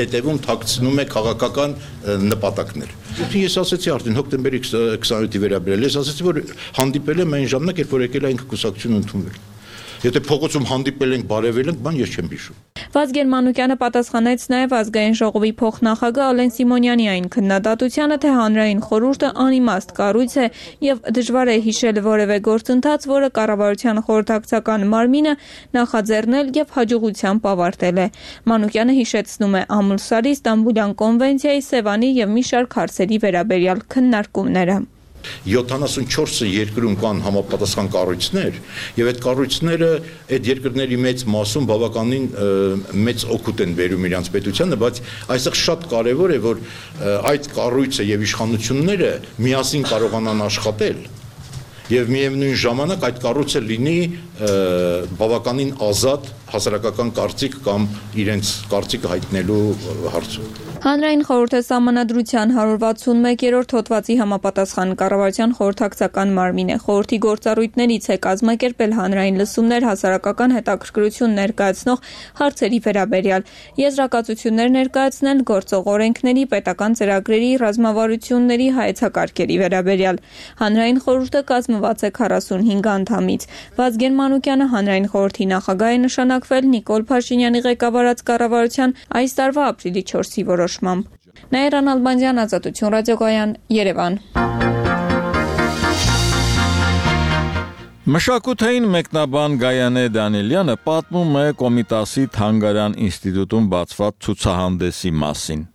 հետևում թաքցնում է քաղաքական նպատակներ։ Ես ասացի արդեն հոկտեմբերի 27-ի վերաբերել, ես ասացի, որ հանդիպել եմ այն ժամանակ, երբ որ եկել այնք կուսակցություն ընդունվել։ Եթե փողոցում հանդիպել ենք, բարևել ենք, բան ես չեմ հիշում։ Վազգեն Մանուկյանը պատասխանեց նաև Ազգային ժողովի փոխնախագահ Ալեն Սիմոնյանի այն քննադատությանը, թե հանրային խորհուրդը անիմաստ կառույց է եւ դժվար է հիշել որևէ գործընթաց, որը կառավարության խորհրդակցական մարմինը նախաձեռնել եւ հաջողությամբ ավարտել է։ Մանուկյանը հիշեցնում է Ամուլսարի, Ստամբուլյան կոնվենցիայի, Սևանի եւ մի շարք հարցերի վերաբերյալ քննարկումները։ 74 երկրում կան համապատասխան կառույցներ եւ այդ կառույցները այդ երկրների մեծ մասում բավականին մեծ օգուտ են բերում իրանց պետությանը, բայց այստեղ շատ կարեւոր է, որ այդ կառույցը եւ իշխանությունները միասին կարողանան աշխատել եւ միևնույն ժամանակ այդ կառույցը լինի բավականին ազատ հասարակական կարծիք կամ իրենց կարծիքը հայտնելու հարցում։ Հանրային խորհուրդը Սահմանադրության 161-րդ հոդվածի համապատասխան կառավարության խորհրդակցական մարմին է։ Խորհրդի գործառույթներից է կազմակերպել հանրային լսումներ հասարակական հետաքրքրություն ներկայացնող հարցերի վերաբերյալ, եզրակացություններ ներկայացնել գործող օրենքների, պետական ծրագրերի, ռազմավարությունների, հայեցակարգերի վերաբերյալ։ Հանրային խորհուրդը կազմված է 45 անդամից։ Վազգեն Մանուկյանը հանրային խորհրդի նախագահ է նշանակվել Նիկոլ Փաշինյանի ղեկավարած կառավարության այս տարվա ապրիլի 4-ի որոշմամբ։ Նաիրան Ալբանդյան, Ազատություն ռադիոկայան, Երևան։ Մշակութային մեկնաբան Գայանե Դանիելյանը պատմում է Կոմիտասի Թանգարան ինստիտուտում բացված ցուցահանդեսի մասին։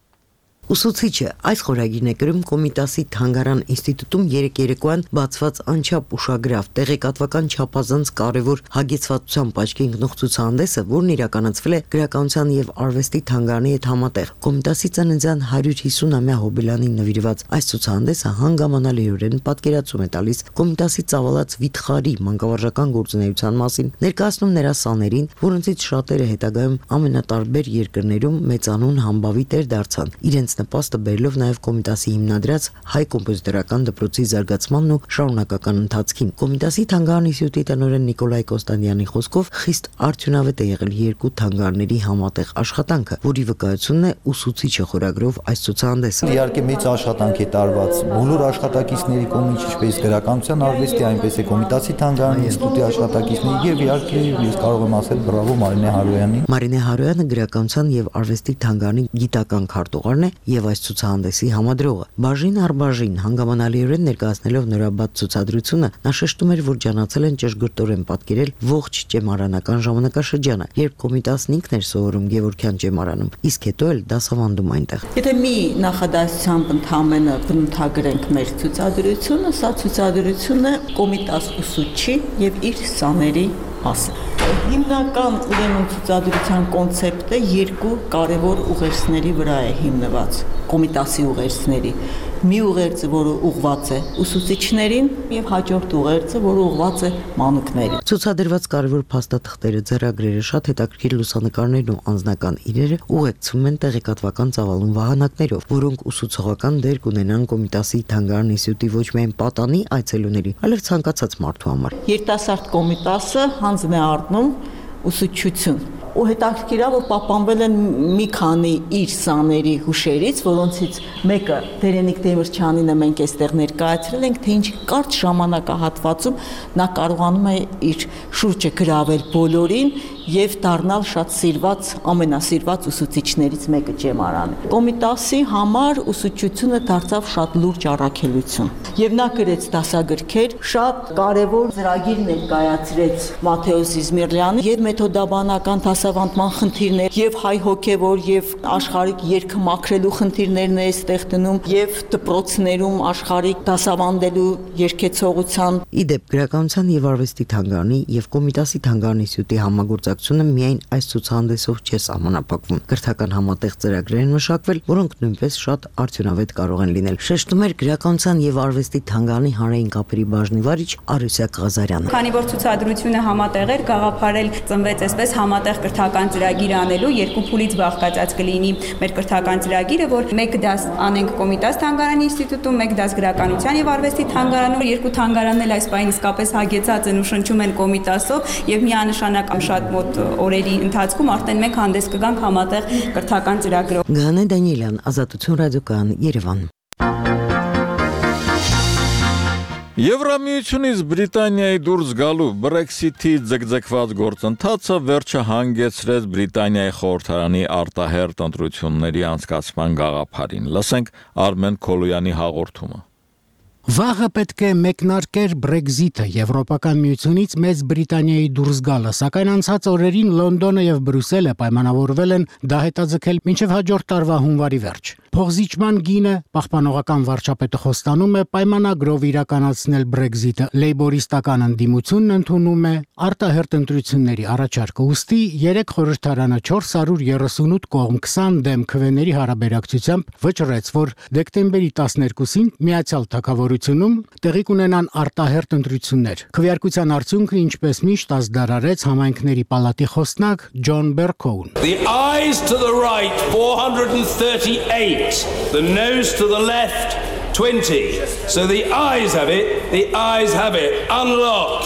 Ուսուցիչը այս խորագիրն է գրում Կոմիտասի Թանգարան ինստիտուտում երեկոյան բացված անչափ ուշագրավ տեղեկատվական չափազանց կարևոր հագեցվածությամբ աչքի ընկնող ցուցահանդեսը, որն իրականացվել է Գրականության եւ Արվեստի թանգարանի հետ համատեղ։ Կոմիտասի ծննդյան 150-ամյա հոբելյանին նվիրված այս ցուցահանդեսը հանգամանալիորեն պատկերացում է տալիս Կոմիտասի ծավալած վիթխարի մանկավարժական գործունեության մասին, ներկայացնում նրա սաներին, որոնցից շատերը հետագայում ամենատարբեր երկրներում մեծանուն համբավի տեր դարձան, իրենց նպաստը բերելով նաև Կոմիտասի հիմնադրած հայ կոմպոզիտորական դպրոցի զարգացմանն ու շարունակական ընթացքին։ Կոմիտասի թանգարան ինստիտուտի տնօրեն Նիկոլայ Կոստանդյանի խոսքով խիստ արդյունավետ է եղել երկու թանգարանների համատեղ աշխատանքը, որի վկայությունն է ուսուցիչը խորագրով այս ցուցահանդեսը։ Իհարկե մեծ աշխատանք է տարված բոլոր աշխատակիցների կողմից, ինչպես Գրականության արվեստի, այնպես է Կոմիտասի թանգարանի ինստիտուտի աշխատակիցների եւ իհարկե ես կարող եմ ասել բրավո Մարինե Հարոյանին։ Մարինե Հարոյանը Գրականության եւ Արվեստի թանգարանի գիտական քարտուղարն է եւ այս ցուցահանդեսի համադրողը։ Բաժին առ բաժին հանգամանալիորեն ներկայացնելով նորաբաց ցուցադրությունը, նա շեշտում էր, որ ջանացել են ճշգրտորեն պատկերել ողջ ճեմարանական ժամանակաշրջանը, երբ Կոմիտասն ինքն էր սովորում Գևորգյան ճեմարանում, իսկ հետո էլ դասավանդում այնտեղ։ Եթե մի նախադասությամբ ընդհանրապես բնութագրենք մեր ցուցադրությունը, սա ցուցադրությունը Կոմիտաս ուսուցչի եւ իր սաների մասին։ Հիմնական ուրեմն ցուցադրության կոնցեպտը երկու կարևոր ուղերձների վրա է հիմնված։ Կոմիտասի ուղերձների։ Մի ուղերձը, որը ուղղված է ուսուցիչներին, եւ հաջորդ ուղերձը, որը ուղղված է մանուկներին։ Ցուցադրված կարևոր փաստաթղթերը, ձեռագրերը, շատ հետաքրքիր լուսանկարներն ու անձնական իրերը ուղեկցվում են տեղեկատվական ծավալուն վահանակներով, որոնք ուսուցողական դեր կունենան Կոմիտասի թանգարան ինստիտուտի ոչ միայն պատանի այցելուների, այլև ցանկացած մարդու համար։ Երիտասարդ Կոմիտասը հանձն է առնում ուսուցչություն ու հետաքրքիր է, որ պահպանվել են մի քանի իր սաների հուշերից, որոնցից մեկը Դերենիկ Դեմիրճյանինը մենք այստեղ ներկայացրել ենք, թե ինչ կարճ ժամանակահատվածում նա կարողանում է իր շուրջը գրավել բոլորին եւ դառնալ շատ սիրված, ամենասիրված ուսուցիչներից մեկը ճեմարանը։ Կոմիտասի համար ուսուցչությունը դարձավ շատ լուրջ առաքելություն։ Եվ նա գրեց դասագրքեր, շատ կարևոր ծրագիր ներկայացրեց Մաթեոս Իզմիրլյանը եւ մեթոդաբանական դասավանդման խնդիրներ եւ հայ հոգեվոր եւ աշխարհիկ երգը մաքրելու խնդիրներն է այստեղ դնում եւ դպրոցներում աշխարհիկ դասավանդելու երգեցողության։ Իդեպ Գրականության եւ Արվեստի թանգարանի եւ Կոմիտասի թանգարանի ինստիտուտի համագործակցությունը միայն այս ցուցահանդեսով չէ սահմանափակվում։ Կրթական համատեղ ծրագրեր են մշակվել, որոնք նույնպես շատ արդյունավետ կարող են լինել։ Շեշտում էր Գրականության եւ Արվեստի թանգարանի հանրային կապերի բաժնի վարիչ Արուսյակ Ղազարյանը։ Քանի որ ցուցադրությունը համատեղ էր, գաղափարել ծնվեց այսպես համատեղ կրթական ծրագիր անելու, երկու փուլից բաղկացած կլինի մեր կրթական ծրագիրը, որ մեկ դաս անենք Կոմիտաս թանգարանի ինստիտուտում, մեկ դաս Գրականության եւ Արվեստի թանգարանում, երկու թանգարանն էլ այս պահին իսկապես հագեցած են ու շնչում են Կոմիտասով եւ միանշանակ շատ մոտ օրերի ընթացքում արդեն մենք հանդես կգանք համատեղ կրթական ծրագրով։ Գայանե Դանիելյան, Ազատություն ռադիոկայան, Երևան։ Եվրամիությունից Բրիտանիայի դուրս գալու Brexit-ի ձգձգված գործընթացը վերջը հանգեցրեց Բրիտանիայի խորհրդարանի արտահերթ ընտրությունների անցկացման գաղափարին։ Լսենք Արմեն Քոլոյանի հաղորդումը։ Վաղը պետք է մեկնարկեր Brexit-ը, Եվրոպական միությունից Մեծ Բրիտանիայի դուրս գալը, սակայն անցած օրերին Լոնդոնը եւ Բրյուսելը պայմանավորվել են դա հետաձգել մինչեւ հաջորդ տարվա հունվարի վերջ։ Փոխզիջման գինը պահպանողական վարչապետը խոստանում է պայմանագրով իրականացնել Brexit-ը, լեյբորիստական ընդդիմությունն ընդունում է արտահերթ ընտրությունների առաջարկը, ուստի 3 խորհրդարանը 438 կողմ 20 դեմ քվեների հարաբերակցությամբ վճռեց, որ դեկտեմբերի 12-ին Միացյալ Թագավորությունում տեղի կունենան արտահերթ ընտրություններ։ Քվեարկության արդյունքը ինչպես միշտ ազդարարեց համայնքների պալատի խոսնակ Ջոն Բերքոուն։ The ayes to the right 438, the noes to the left 20. So the ayes have it, the ayes have it. Unlock.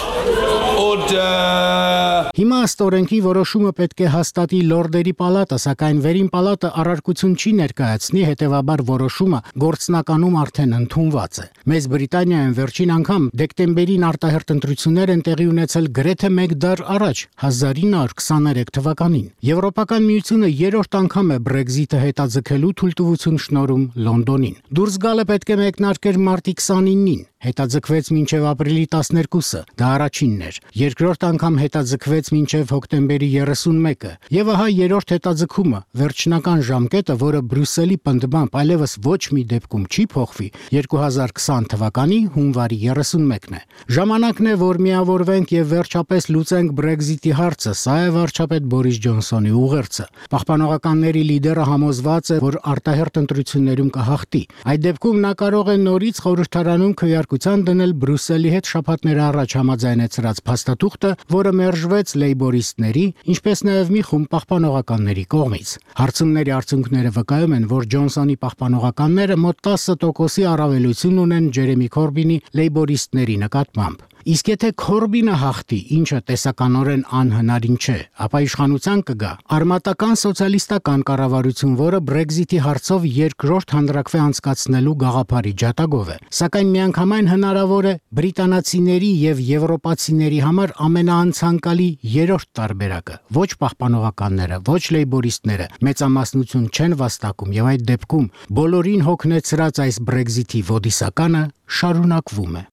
Order. Հիմա ըստ օրենքի որոշումը պետք է հաստատի Լորդերի պալատը, սակայն վերին պալատը առարկություն չի ներկայացնի, հետևաբար որոշումը գործնականում արդեն ընդունված է։ Մեծ Բրիտանիայում վերջին անգամ դեկտեմբերին արտահերթ ընտրություններ են տեղի ունեցել գրեթե 1 դար առաջ, 1923 թվականին։ Եվրոպական միությունը երրորդ անգամ է Brexit-ը հետաձգելու թույլտվություն շնորհում Լոնդոնին։ Դուրս գալը պետք է մեկնարկեր մարտի 29-ին։ հետաձգվեց մինչև ապրիլի 12-ը, դա առաջինն էր։ Երկրորդ անգամ հետաձգվեց մինչև հոկտեմբերի 31-ը։ Եվ ահա երրորդ հետաձգումը, վերջնական ժամկետը, որը Բրյուսելի պնդմամբ այլևս ոչ մի դեպքում չի փոխվի, 2020 թվականի հունվարի 31-ն է։ Ժամանակն է, որ միավորվենք եւ վերջապես լուծենք Brexit-ի հարցը, սա է վարչապետ Բորիս Ջոնսոնի ուղերձը։ Պահպանողականների լիդերը համոզված է, որ արտահերթ ընտրություններում կհաղթի։ Այդ դեպքում նա կարող է նորից խորհրդարանում քվեարկության դնել Բրյուսելի հետ շաբաթներ առաջ համաձայնեցրած փաստաթուղթը, որը մերժվեց լեյբորիստների, ինչպես նաև մի խումբ պահպանողականների կողմից։ Հարցումների արդյունքները վկայում են, որ Ջոնսոնի պահպանողականները մոտ 10% առավելություն ունեն Ջերեմի Քորբինի լեյբորիստների նկատմամբ։ Իսկ եթե Քորբինը հաղթի, ինչը տեսականորեն անհնարին չէ, ապա իշխանության կգա արմատական սոցիալիստական կառավարություն, որը Brexit-ի հարցով երկրորդ հանրաքվե անցկացնելու գաղափարի ջատագով է։ Սակայն միանգամայն հնարավոր է բրիտանացիների եւ եվրոպացիների համար ամենաանցանկալի երրորդ տարբերակը։ Ոչ պահպանողականները, ոչ լեյբորիստները մեծամասնություն չեն վաստակում եւ այդ դեպքում բոլորին հոգնեցրած այս Brexit-ի ոդիսականը շարունակվում է։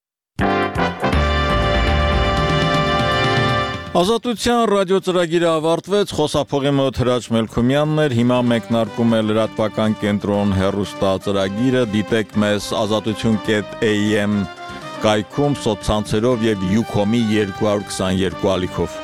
Ազատության ռադիոծրագիրը ավարտվեց, խոսափողի մոտ Հրաչ Մելքումյանն էր, հիմա մեկնարկում է լրատվական կենտրոն հեռուստածրագիրը, դիտեք մեզ azatutun.am կայքում, սոցցանցերով եւ Ucom-ի 222 ալիքով։